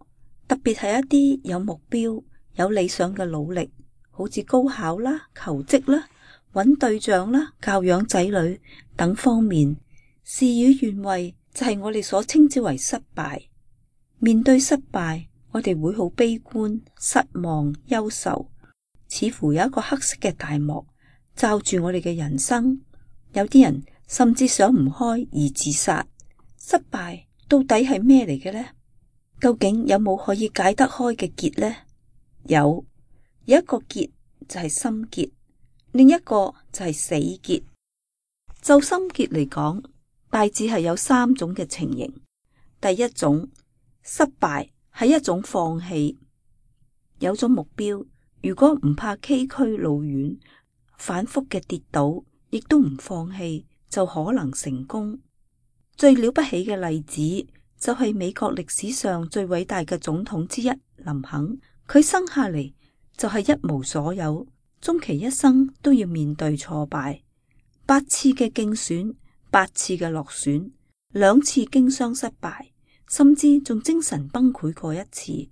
特別係一啲有目標、有理想嘅努力，好似高考啦、求職啦、揾對象啦、教養仔女等方面，事與願違就係我哋所稱之為失敗。面對失敗，我哋會好悲觀、失望、憂愁，似乎有一個黑色嘅大幕罩住我哋嘅人生。有啲人甚至想唔開而自殺。失敗到底係咩嚟嘅呢？究竟有冇可以解得開嘅結呢？有一個結就係心結，另一個就係死結。就心結嚟講，大致係有3種嘅情形。第一種，失敗係一種放棄。有咗目標，如果唔怕崎嶇路遠，反覆嘅跌倒，亦都唔放棄，就可能成功。最了不起嘅例子就係美國歷史上最偉大嘅總統之一林肯，佢生下嚟就係一無所有，終其一生都要面對挫敗，8次嘅競選，8次嘅落選，2次經商失敗，甚至仲精神崩潰過一次。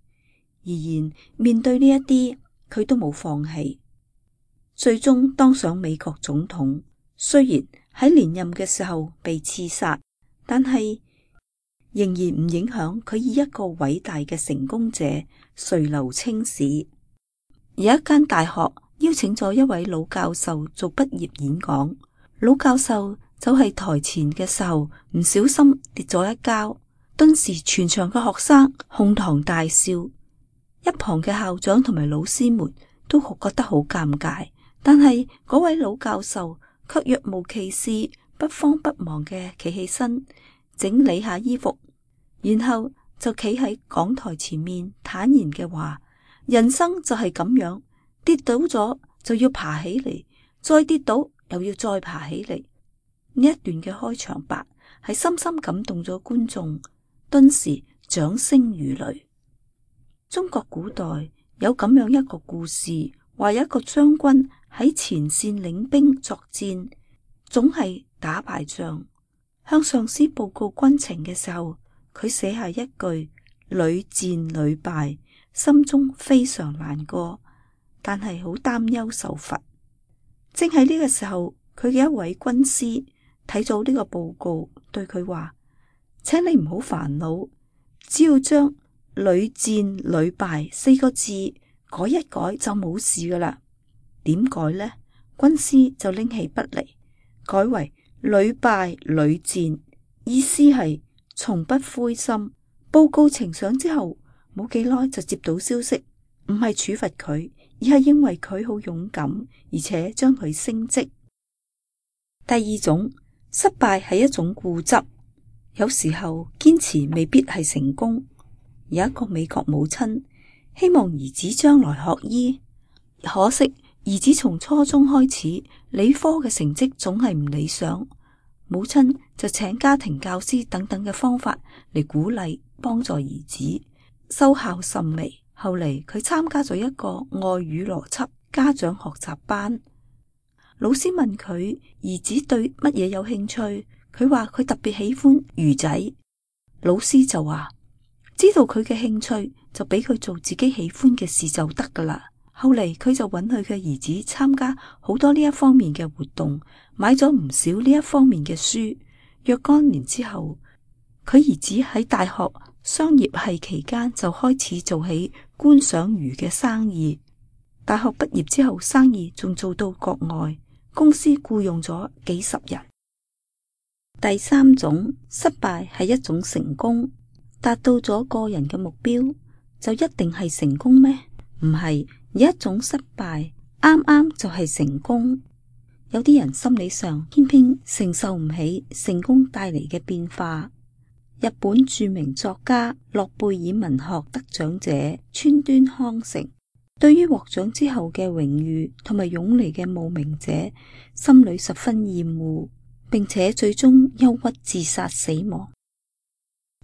然面對呢一啲，佢都冇放棄，最終當上美國總統。雖然喺連任嘅時候被刺殺，但係仍然唔影響佢以一個偉大嘅成功者垂留青史。有一間大學邀請咗一位老教授做畢業演講，老教授走喺台前嘅時候唔小心跌咗一跤，頓時全場嘅學生哄堂大笑，一旁嘅校長同埋老師們都覺得好尷尬，但係嗰位老教授卻若無其事，不慌不忙嘅企起身，整理下衣服，然後就企喺講台前面坦然嘅話：人生就係咁樣，跌倒咗就要爬起嚟，再跌倒又要再爬起嚟。呢一段嘅開場白係深深感動咗觀眾，頓時掌聲如雷。中國古代有咁樣一個故事，話有一個將軍喺前線領兵作戰，總係打敗仗。向上司報告軍情嘅時候，佢寫下一句屢戰屢敗，心中非常難過，但係好擔憂受罰。正喺呢個時候，佢嘅一位軍師睇咗呢個報告，對佢話：請你唔好煩惱，只要將屢戰屢敗4個字改一改就冇事噶啦。點改呢？軍師就拎起筆嚟，改為屢敗屢戰，意思係從不灰心。報告呈上之後，冇幾耐就接到消息，唔係處罰佢，而係因為佢好勇敢，而且將佢升職。第二種，失敗係一種固執，有時候堅持未必係成功。有一個美國母親希望兒子將來學醫，可惜兒子從初中開始理科嘅成績總係唔理想，母親就請家庭教師等等嘅方法嚟鼓勵幫助兒子，收效甚微。後嚟佢參加咗一個外語邏輯家長學習班，老師問佢兒子對乜嘢有興趣，佢話佢特別喜歡魚仔。老師就話知道佢嘅興趣就俾佢做自己喜歡嘅事就得噶啦。後嚟佢就允許佢嘅兒子參加好多呢一方面嘅活動，買咗唔少呢一方面嘅書。若干年之後，佢兒子喺大學商業系期間就開始做起觀賞魚嘅生意。大學畢業之後，生意仲做到國外，公司僱傭咗幾十人。第三種，失敗係一種成功。達到咗個人嘅目標，就一定係成功咩？唔係，有一種失敗啱啱就係成功。有啲人心理上偏偏承受唔起成功帶嚟嘅變化。日本著名作家諾貝爾文學得獎者川端康成，對於獲獎之後嘅榮譽同埋湧嚟嘅慕名者，心裏十分厭惡，並且最終憂鬱自殺死亡。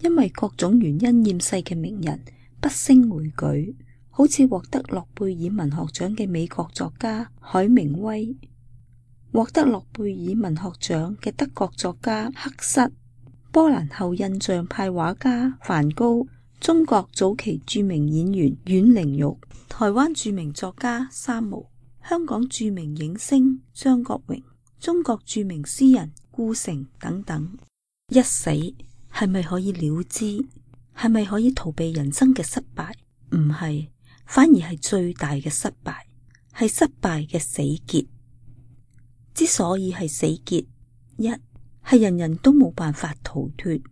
因為各種原因厭世嘅名人不勝枚舉，好似獲得諾貝爾文學獎嘅美國作家海明威，獲得諾貝爾文學獎嘅德國作家克瑟，波蘭後印象派畫家梵高，中國早期著名演員阮玲玉，台灣著名作家三毛，香港著名影星張國榮，中國著名詩人顧城等等。一死係咪可以了之？係咪可以逃避人生嘅失敗？唔係，反而係最大嘅失敗，係失敗嘅死結。之所以係死結，一係人人都冇辦法逃脫，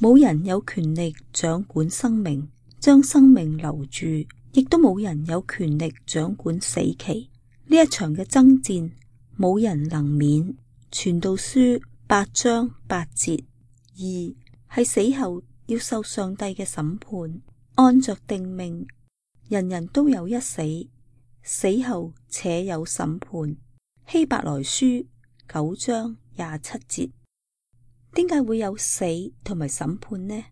冇人有權力掌管生命，將生命留住，亦都冇人有權力掌管死期。呢一場嘅爭戰，冇人能免。傳道書8章8節。二係死後要受上帝嘅審判，按着定命，人人都有一死，死後且有審判。希伯來書9章27節。點解會有死同埋審判呢？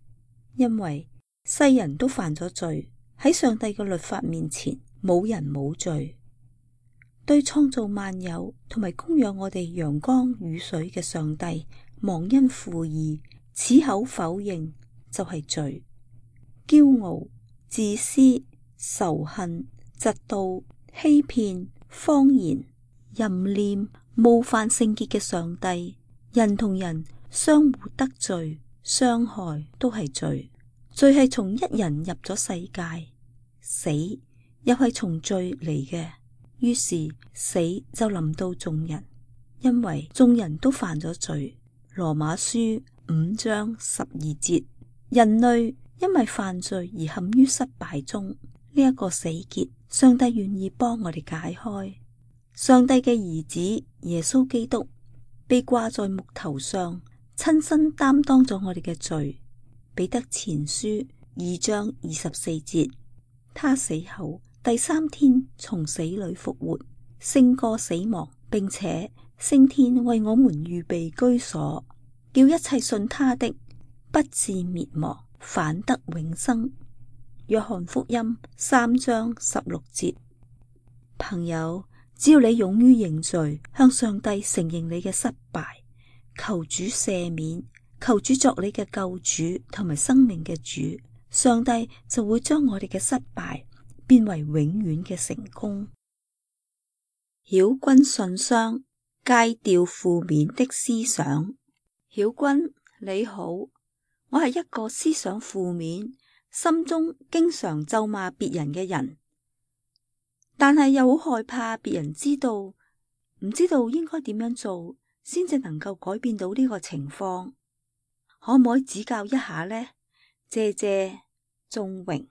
因為世人都犯咗罪，喺上帝嘅律法面前，冇人冇罪。對創造萬有同埋供養我哋陽光雨水嘅上帝忘恩負義，此口否認就係罪。驕傲、自私、仇恨、嫉妒、欺騙、謊言、淫念、冒犯聖潔嘅上帝，人同人相互得罪、傷害都係罪。罪係從一人入咗世界，死又係從罪嚟嘅。於是死就臨到眾人，因為眾人都犯咗罪。羅馬書5章12節。人類因為犯罪而陷於失敗中，呢一個死結，上帝願意幫我哋解開。上帝嘅兒子耶穌基督被掛在木頭上，親身擔當咗我哋嘅罪。彼得前書2章24節。他死後第3天從死裏復活，勝過死亡，並且升天為我們預備居所，叫一切信他的不至滅亡，反得永生。約翰福音3章16節。朋友，只要你勇於認罪，向上帝承認你嘅失敗，求主赦免，求主作你嘅救主同埋生命嘅主，上帝就會將我哋嘅失敗變為永遠嘅成功。曉君信箱，戒掉負面的思想。曉君你好，我係一個思想負面，心中經常咒罵別人嘅人，但係又好害怕別人知道，唔知道應該點樣做先至能夠改變到呢個情況，可唔可以指教一下呢？謝謝，仲榮。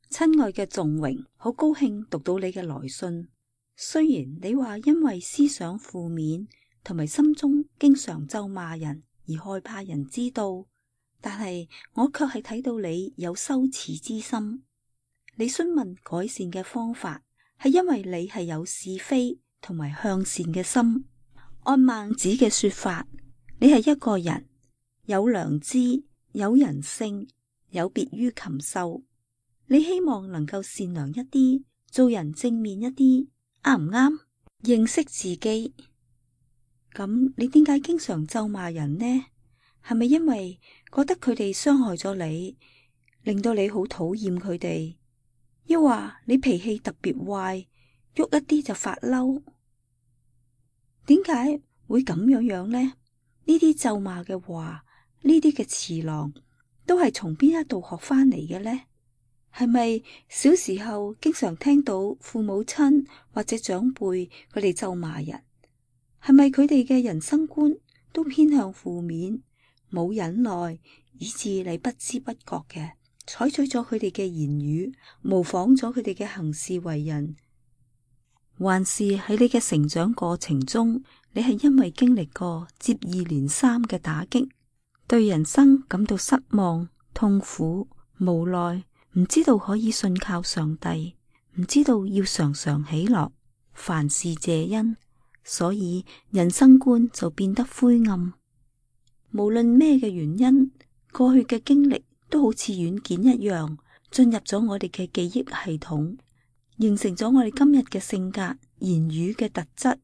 親愛嘅仲榮，好高興讀到你嘅來信。雖然你話因為思想負面同埋心中經常咒罵人而害怕人知道，但係我卻係睇到你有羞恥之心。你詢問改善嘅方法，係因為你係有是非同埋向善嘅心。按孟子嘅說法，你係一個人，有良知，有人性，有別於禽獸。你希望能夠善良一啲，做人正面一啲，啱唔啱？認識自己。咁你點解經常咒罵人呢？係咪因為覺得佢哋傷害咗你，令到你好討厭佢哋？抑或你脾氣特別壞，喐一啲就發嬲？點解會咁樣呢？呢啲咒罵嘅話，呢啲嘅詞郎，都係從邊一度學翻嚟嘅呢？係咪小時候經常聽到父母親或者長輩佢哋咒罵人？係咪佢哋嘅人生觀都偏向負面，冇忍耐，以致你不知不覺嘅採取咗佢哋嘅言語，模仿咗佢哋嘅行事為人？還是喺你嘅成長過程中，你係因為經歷過接二連三嘅打擊，對人生感到失望、痛苦、無奈，唔知道可以信靠上帝，唔知道要常常喜樂，凡事謝恩，所以人生觀就變得灰暗。無論咩嘅原因，過去嘅經歷都好似軟件一樣進入咗我哋嘅記憶系統，形成咗我哋今日嘅性格、言語嘅特質，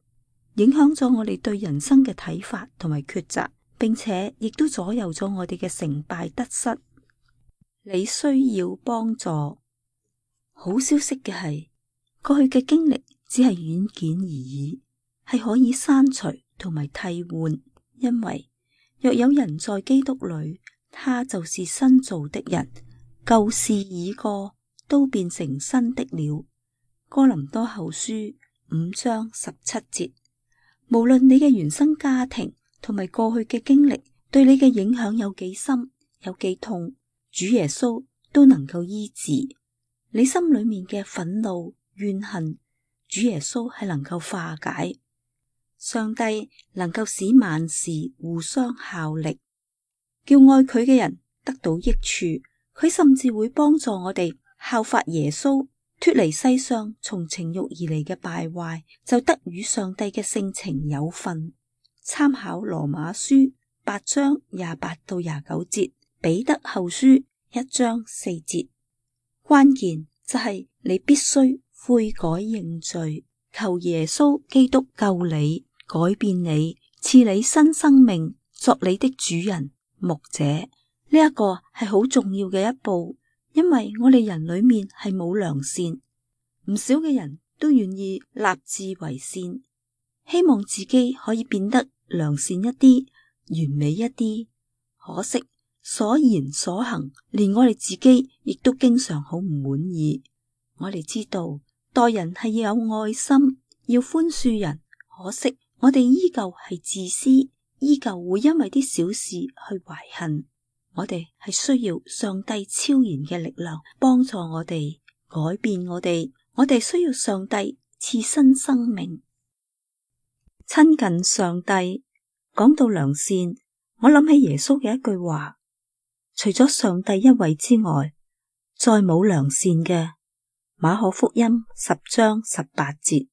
影響咗我哋對人生嘅睇法同埋抉擇，並且亦都左右咗我哋嘅成敗得失。你需要幫助。好消息嘅係，過去嘅經歷只係軟件而已，係可以刪除同埋替換。因為若有人在基督裏，他就是新造的人，舊事已過，都變成新的了。哥林多後書5章17節。無論你嘅原生家庭同埋過去嘅經歷對你嘅影響有幾深，有幾痛，主耶穌都能夠醫治。你心裏面嘅憤怒、怨恨，主耶穌係能夠化解。上帝能夠使萬事互相效力，叫愛佢嘅人得到益處。佢甚至會幫助我哋效法耶穌，脫離世上從情慾而嚟嘅敗壞，就得與上帝嘅性情有份。參考羅馬書8章28到29節，彼得後書1章4節。關鍵就係你必須悔改認罪，求耶穌基督救你，改變你，賜你新生命，作你的主人、牧者。呢一個係好重要嘅一步，因為我哋人裏面係冇良善，唔少嘅人都願意立志為善，希望自己可以變得良善一啲、完美一啲。可惜所言所行，連我哋自己亦都經常好唔滿意。我哋知道待人係要有愛心，要寬恕人，可惜我哋依舊係自私，依舊會因為啲小事去懷恨。我哋係需要上帝超然嘅力量幫助我哋，改變我哋。我哋需要上帝賜新生命。親近上帝，講到良善，我諗起耶穌嘅一句話：除咗上帝一位之外，再冇良善嘅。馬可福音10章18節。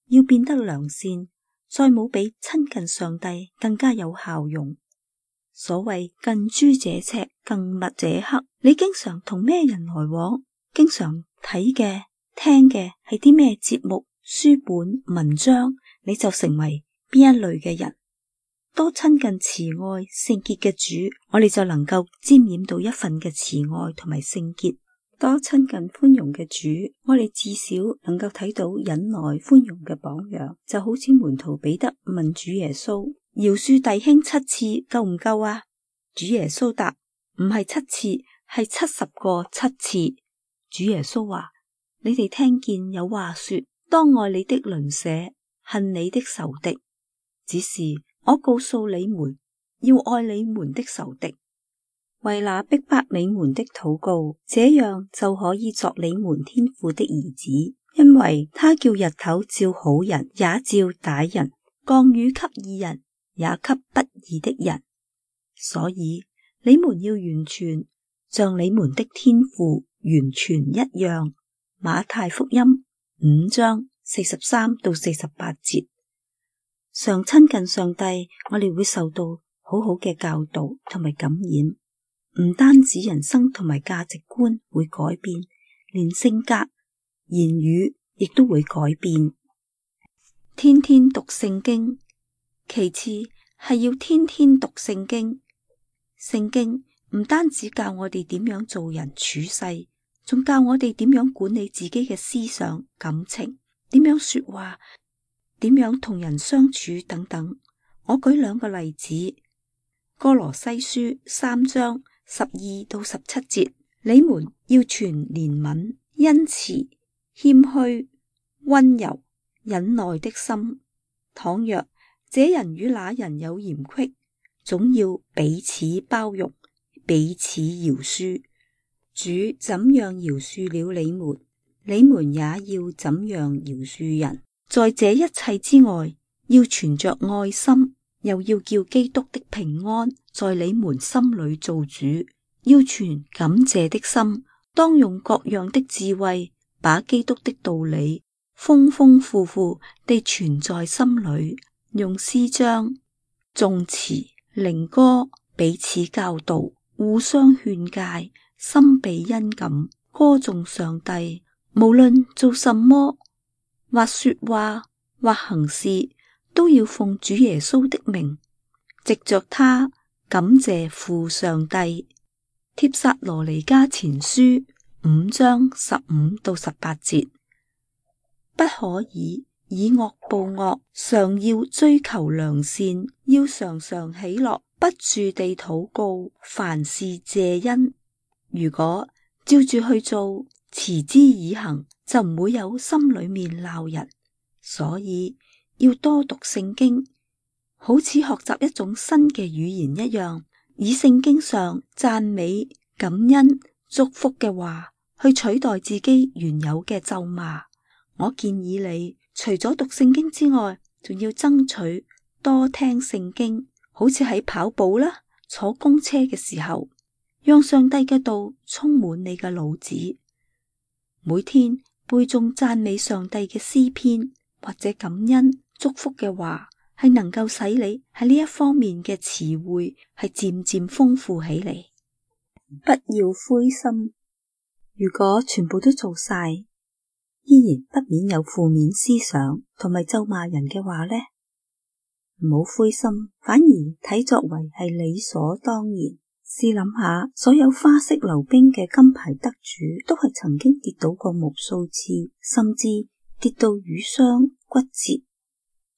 要變得良善，再冇比親近上帝更加有效用。所謂近朱者赤，近墨者黑。你經常同咩人來往？經常睇嘅、聽嘅係啲咩節目、書本、文章，你就成為邊一類嘅人。多親近慈愛、聖潔嘅主，我哋就能夠沾染到一份嘅慈愛同埋聖潔。多親近寬容嘅主，我哋至少能夠睇到忍耐寬容嘅榜樣。就好似門徒彼得問主耶穌：饒恕弟兄7次夠唔夠啊？主耶穌答：唔係7次，係70個7次。主耶穌話：你哋聽見有話說，當愛你的鄰舍，恨你的仇敵。只是我告訴你們，要愛你們的仇敵，為那逼迫你們的禱告，這樣就可以作你們天父的兒子，因為他叫日頭照好人，也照歹人；降雨給義人，也給不義的人。所以你們要完全，像你們的天父完全一樣。馬太福音5章43到48節。常親近上帝，我哋會受到好好嘅教導同埋感染，唔單止人生同埋價值觀會改變，連性格、言語亦都會改變。天天讀聖經，其次係要天天讀聖經。聖經唔單止教我哋點樣做人處世，仲教我哋點樣管理自己嘅思想、感情，點樣說話，點樣同人相處等等。我舉兩個例子：歌羅西書3章12到17節，你們要存憐憫、恩慈、謙虛、溫柔、忍耐的心。倘若這人與那人有嫌隙，總要彼此包容，彼此饒恕。主怎樣饒恕了你們，你們也要怎樣饒恕人。在這一切之外，要存着愛心，又要叫基督的平安在你們心裏做主。要存感謝的心，當用各樣的智慧，把基督的道理豐豐富富地存在心裏，用詩章、頌詞、靈歌彼此教導，互相勸誡，心被恩感，歌頌上帝。無論做什麼，或說話，或行事，都要奉主耶穌的名，藉着他感謝父上帝。帖撒羅尼迦前書5章15到18節，不可以以惡報惡，常要追求良善，要常常喜樂，不住地禱告，凡事謝恩。如果照住去做，持之以恆，就唔會有心裏面鬧人。所以要多讀聖經，好似學習一種新嘅語言一樣，以聖經上讚美、感恩、祝福嘅話去取代自己原有嘅咒罵。我建議你除咗讀聖經之外，仲要爭取多聽聖經，好似喺跑步啦、坐公車嘅時候，讓上帝嘅道充滿你嘅腦子。每天背誦讚美上帝嘅詩篇或者感恩祝福嘅話，係能夠使你喺呢一方面嘅詞彙係漸漸豐富起嚟。不要灰心，如果全部都做晒，依然不免有負面思想同埋咒罵人嘅話呢，唔好灰心，反而睇作為係理所當然。試諗下，所有花式溜冰嘅金牌得主都係曾經跌倒過無數次，甚至跌到瘀傷骨折，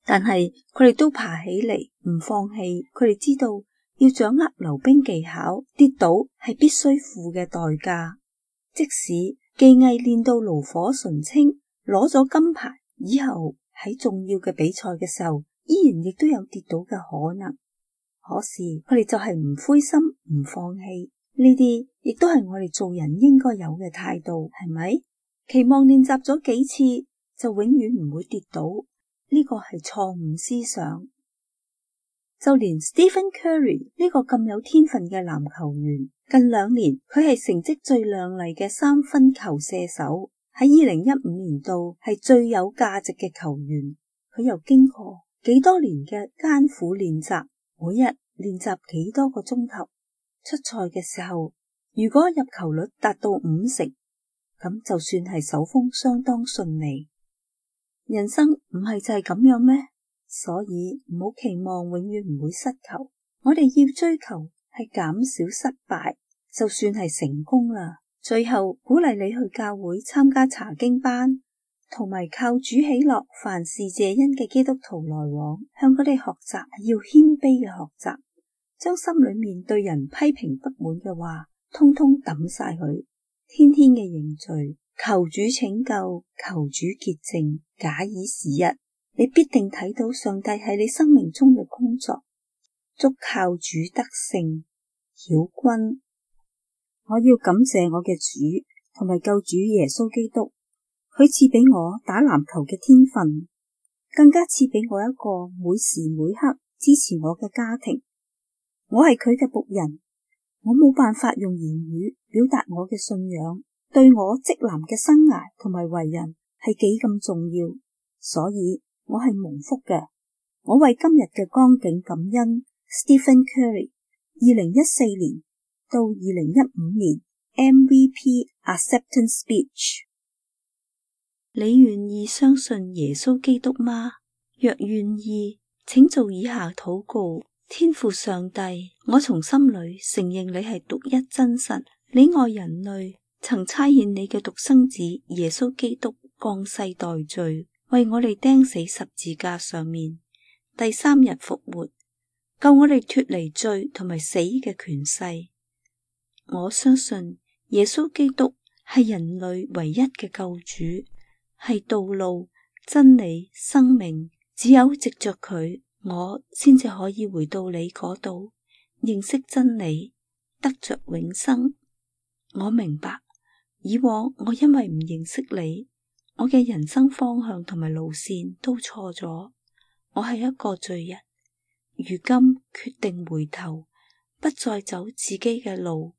但係佢哋都爬起嚟，唔放棄。佢哋知道要掌握溜冰技巧，跌倒係必須付嘅代價。即使技藝練到爐火純青，攞咗金牌以後，喺重要嘅比賽嘅時候，依然亦都有跌倒嘅可能。可是佢哋就係唔灰心，唔放棄。呢啲亦都係我哋做人應該有嘅態度，係咪？期望練習咗幾次就永遠唔會跌倒，呢個係錯誤思想。就連 Stephen Curry 呢個咁有天分嘅籃球員，近2年佢係成績最亮麗嘅3分球射手，喺2015年度係最有價值嘅球員。佢又經過幾多年嘅艱苦練習，每日練習幾多個鐘頭，出賽嘅時候，如果入球率達到50%，咁就算係手風相當順利。人生唔係就係咁樣咩？所以唔好期望永遠唔會失球，我哋要追求係減少失敗，就算係成功啦。最後鼓勵你去教會參加查經班，同埋靠主喜樂凡事謝恩嘅基督徒來往，向佢哋學習係要謙卑嘅學習，將心裏面對人批評不滿嘅話通通抌晒佢，天天嘅認罪，求主拯救，求主潔淨，假以時日，你必定睇到上帝喺你生命中嘅工作。祝靠主得勝。曉君，我要感謝我嘅主同埋救主耶穌基督，佢賜俾我打籃球嘅天分，更加賜俾我一個每時每刻支持我嘅家庭。我係佢嘅僕人，我冇辦法用言語表達我嘅信仰，對我職男嘅生涯同埋為人係幾咁重要，所以我係蒙福嘅。我為今日嘅光景感恩。 Stephen Curry 2014年到2015年 MVP Acceptance Speech。 你願意相信耶穌基督嗎？若願意，請做以下禱告。天父上帝，我從心裏承認你係獨一真神，你愛人類，曾差遣你嘅獨生子耶穌基督降世代罪，為我哋釘死十字架上面，第3日復活，救我哋脫離罪同埋死嘅權勢。我相信耶穌基督係人類唯一嘅救主，係道路、真理、生命，只有藉着佢，我先至可以回到你嗰度，認識真理，得着永生。我明白，以往我因為唔認識你，我嘅人生方向同埋路線都錯咗。我係一個罪人，如今決定回頭，不再走自己嘅路，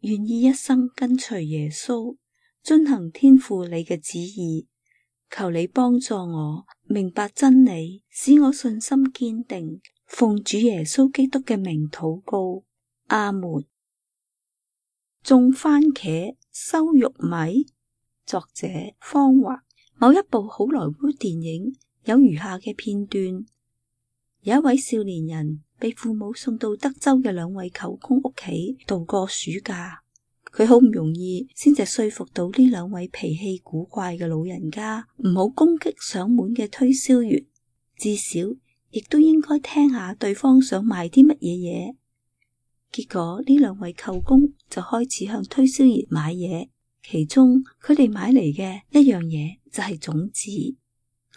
願意一生跟隨耶穌，遵行天父你嘅旨意。求你幫助我明白真理，使我信心堅定。奉主耶穌基督嘅名禱告，阿門。種番茄收玉米，作者方華。某一部好萊塢電影有如下嘅片段：有一位少年人被父母送到德州嘅2位舅公屋企度過暑假。佢好唔容易先至說服到呢2位脾氣古怪嘅老人家唔好攻擊上門嘅推銷員，至少亦都應該聽下對方想賣啲乜嘢嘢。結果呢2位舅公就開始向推銷員買嘢，其中佢哋買嚟嘅一樣嘢就係種子。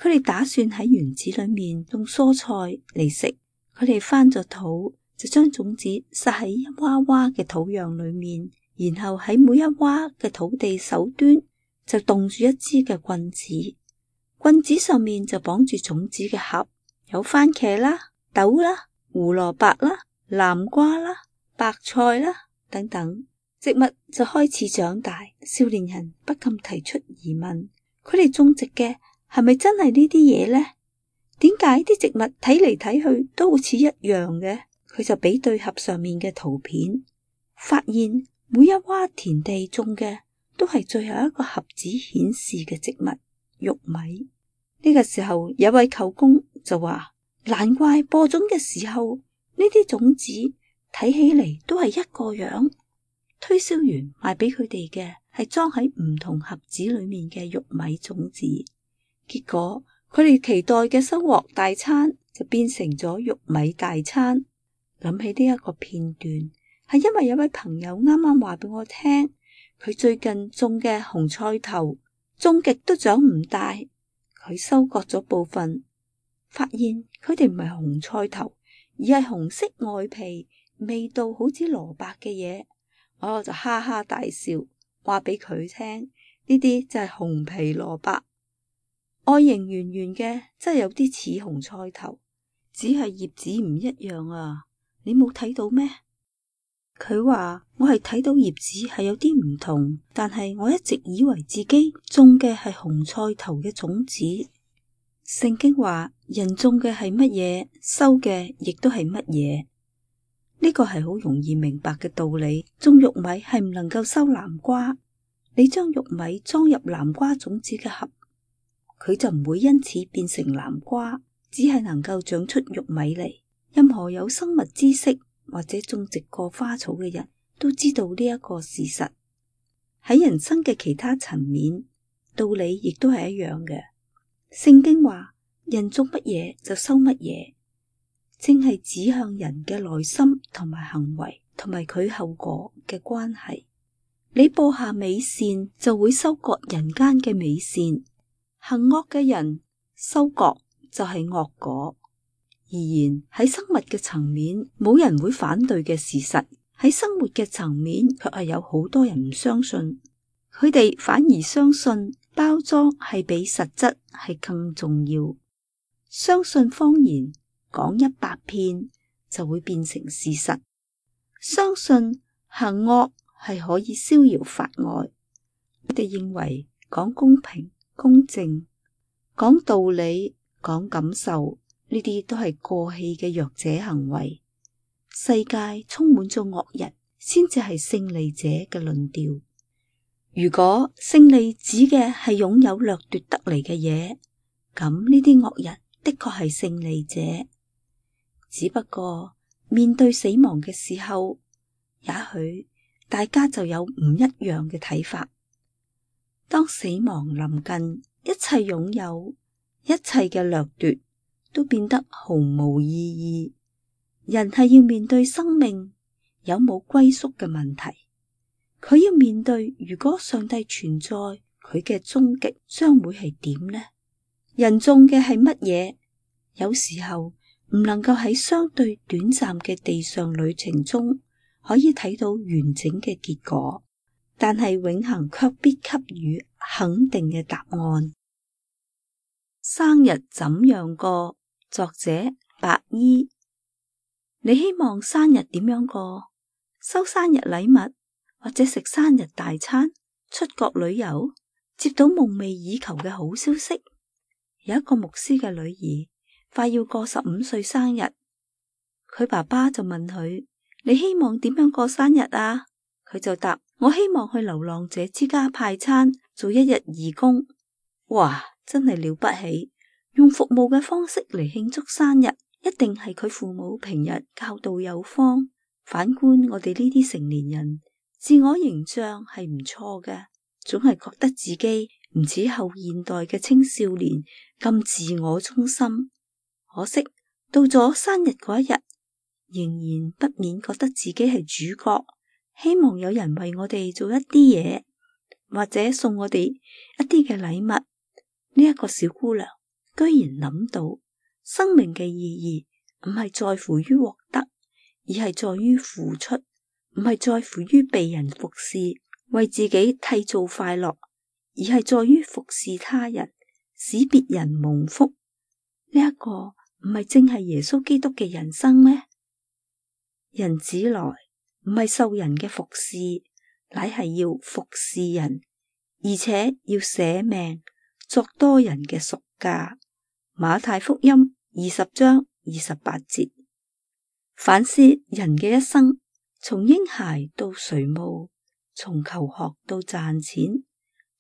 佢哋打算喺園子裏面種蔬菜嚟食。佢哋翻咗土，就將種子撒喺一娃娃嘅土壤裏面，然後喺每一娃嘅土地手端就凍住一支嘅棍子，棍子上面就綁住種子嘅盒，有番茄啦、豆啦、胡蘿蔔啦、南瓜啦、白菜啦等等。植物就開始長大，少年人不禁提出疑問：佢哋種植嘅係咪真係呢啲嘢呢？點解啲植物睇嚟睇去都好似一樣嘅？佢就比對盒上面嘅圖片，發現每一洼田地種嘅都係最後一個盒子顯示嘅植物玉米。呢個時候有位舅公就話：難怪播種嘅時候呢啲種子睇起嚟都係一個樣。推銷員賣俾佢哋嘅係裝喺唔同盒子裏面嘅玉米種子，結果佢哋期待嘅收穫大餐就變成咗玉米大餐。諗起呢一個片段，係因為有位朋友啱啱話俾我聽，佢最近種嘅紅菜頭種極都長唔大，佢收割咗部分，發現佢哋唔係紅菜頭，而係紅色外皮，味道好似蘿蔔嘅嘢。我就哈哈大笑，話俾佢聽，呢啲就係紅皮蘿蔔，外形圓圓嘅，真係有啲似紅菜頭，只係葉子唔一樣啊！你冇睇到咩？佢話我係睇到葉子係有啲唔同，但係我一直以為自己種嘅係紅菜頭嘅種子。聖經話人種嘅係乜嘢，收嘅亦都係乜嘢。呢個係好容易明白嘅道理。種玉米係唔能夠收南瓜，你將玉米裝入南瓜種子嘅盒，佢就唔會因此變成南瓜，只係能夠長出玉米嚟。任何有生物知識或者種植過花草嘅人都知道呢一個事實。喺人生嘅其他層面，道理亦都係一樣嘅。聖經話人種乜嘢就收乜嘢，正係指向人嘅內心同埋行為同埋佢後果嘅關係。你播下美善，就會收割人間嘅美善；行惡嘅人收割就係惡果。而然喺生物嘅層面，冇人會反對嘅事實，喺生活嘅層面卻係有好多人唔相信，佢哋反而相信包裝係比實質係更重要，相信謊言講100遍就會變成事實，相信行惡係可以逍遙法外。佢哋認為講公平公正、講道理、講感受，呢啲都係過氣嘅弱者行為。世界充滿咗惡人，先至係勝利者嘅論調。如果勝利指嘅係擁有掠奪得嚟嘅嘢，咁呢啲惡人的確係勝利者。只不過面對死亡嘅時候，也許大家就有唔一樣嘅睇法。當死亡臨近，一切擁有，一切嘅掠奪都變得毫無意義。人係要面對生命有冇歸宿嘅問題，佢要面對如果上帝存在，佢嘅終極將會係點呢？人種嘅係乜嘢？有時候唔能夠喺相對短暫嘅地上旅程中可以睇到完整嘅結果，但係永恆卻必給予肯定嘅答案。生日怎樣過？作者白衣。你希望生日點樣過？收生日禮物，或者食生日大餐，出國旅遊，接到夢寐以求嘅好消息。有一個牧師嘅女兒快要過15歲生日，佢爸爸就問佢：你希望點樣過生日啊？佢就答：我希望去流浪者之家派餐，做1日義工。哇，真係了不起！用服務嘅方式嚟慶祝生日，一定係佢父母平日教導有方。反觀我哋呢啲成年人，自我形象係唔錯嘅，總係覺得自己唔似後現代嘅青少年咁自我中心。可惜到咗生日嗰一日，仍然不免覺得自己係主角，希望有人為我哋做一啲嘢，或者送我哋一啲嘅禮物。呢一個小姑娘居然諗到生命嘅意義唔係在乎於獲得，而係在於付出，唔係在乎於被人服侍，為自己締造快樂，而係在於服侍他人，使別人蒙福。呢一個唔係正係耶穌基督嘅人生咩？人子來唔係受人嘅服侍，乃係要服侍人，而且要捨命作多人嘅贖價。馬太福音20章28節。反思人嘅一生，從嬰孩到垂暮，從求學到賺錢，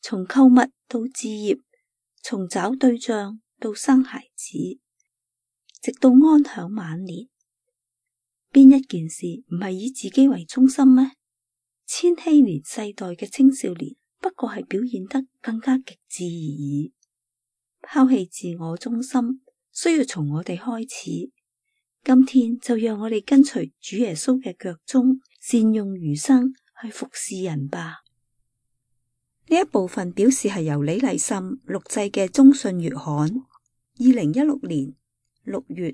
從購物到置業，從找對象到生孩子，直到安享晚年，邊一件事唔係以自己為中心咩？千禧年世代嘅青少年不過係表現得更加極致而已。拋棄自我中心需要從我哋開始。今天就讓我哋跟隨主耶穌嘅腳蹤，善用餘生去服侍人吧。呢一部分表示係由李麗岑錄製嘅中信月刊2016年6月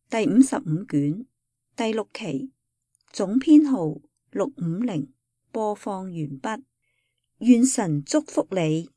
第55卷第6期，總編號650，播放完畢。願神祝福你。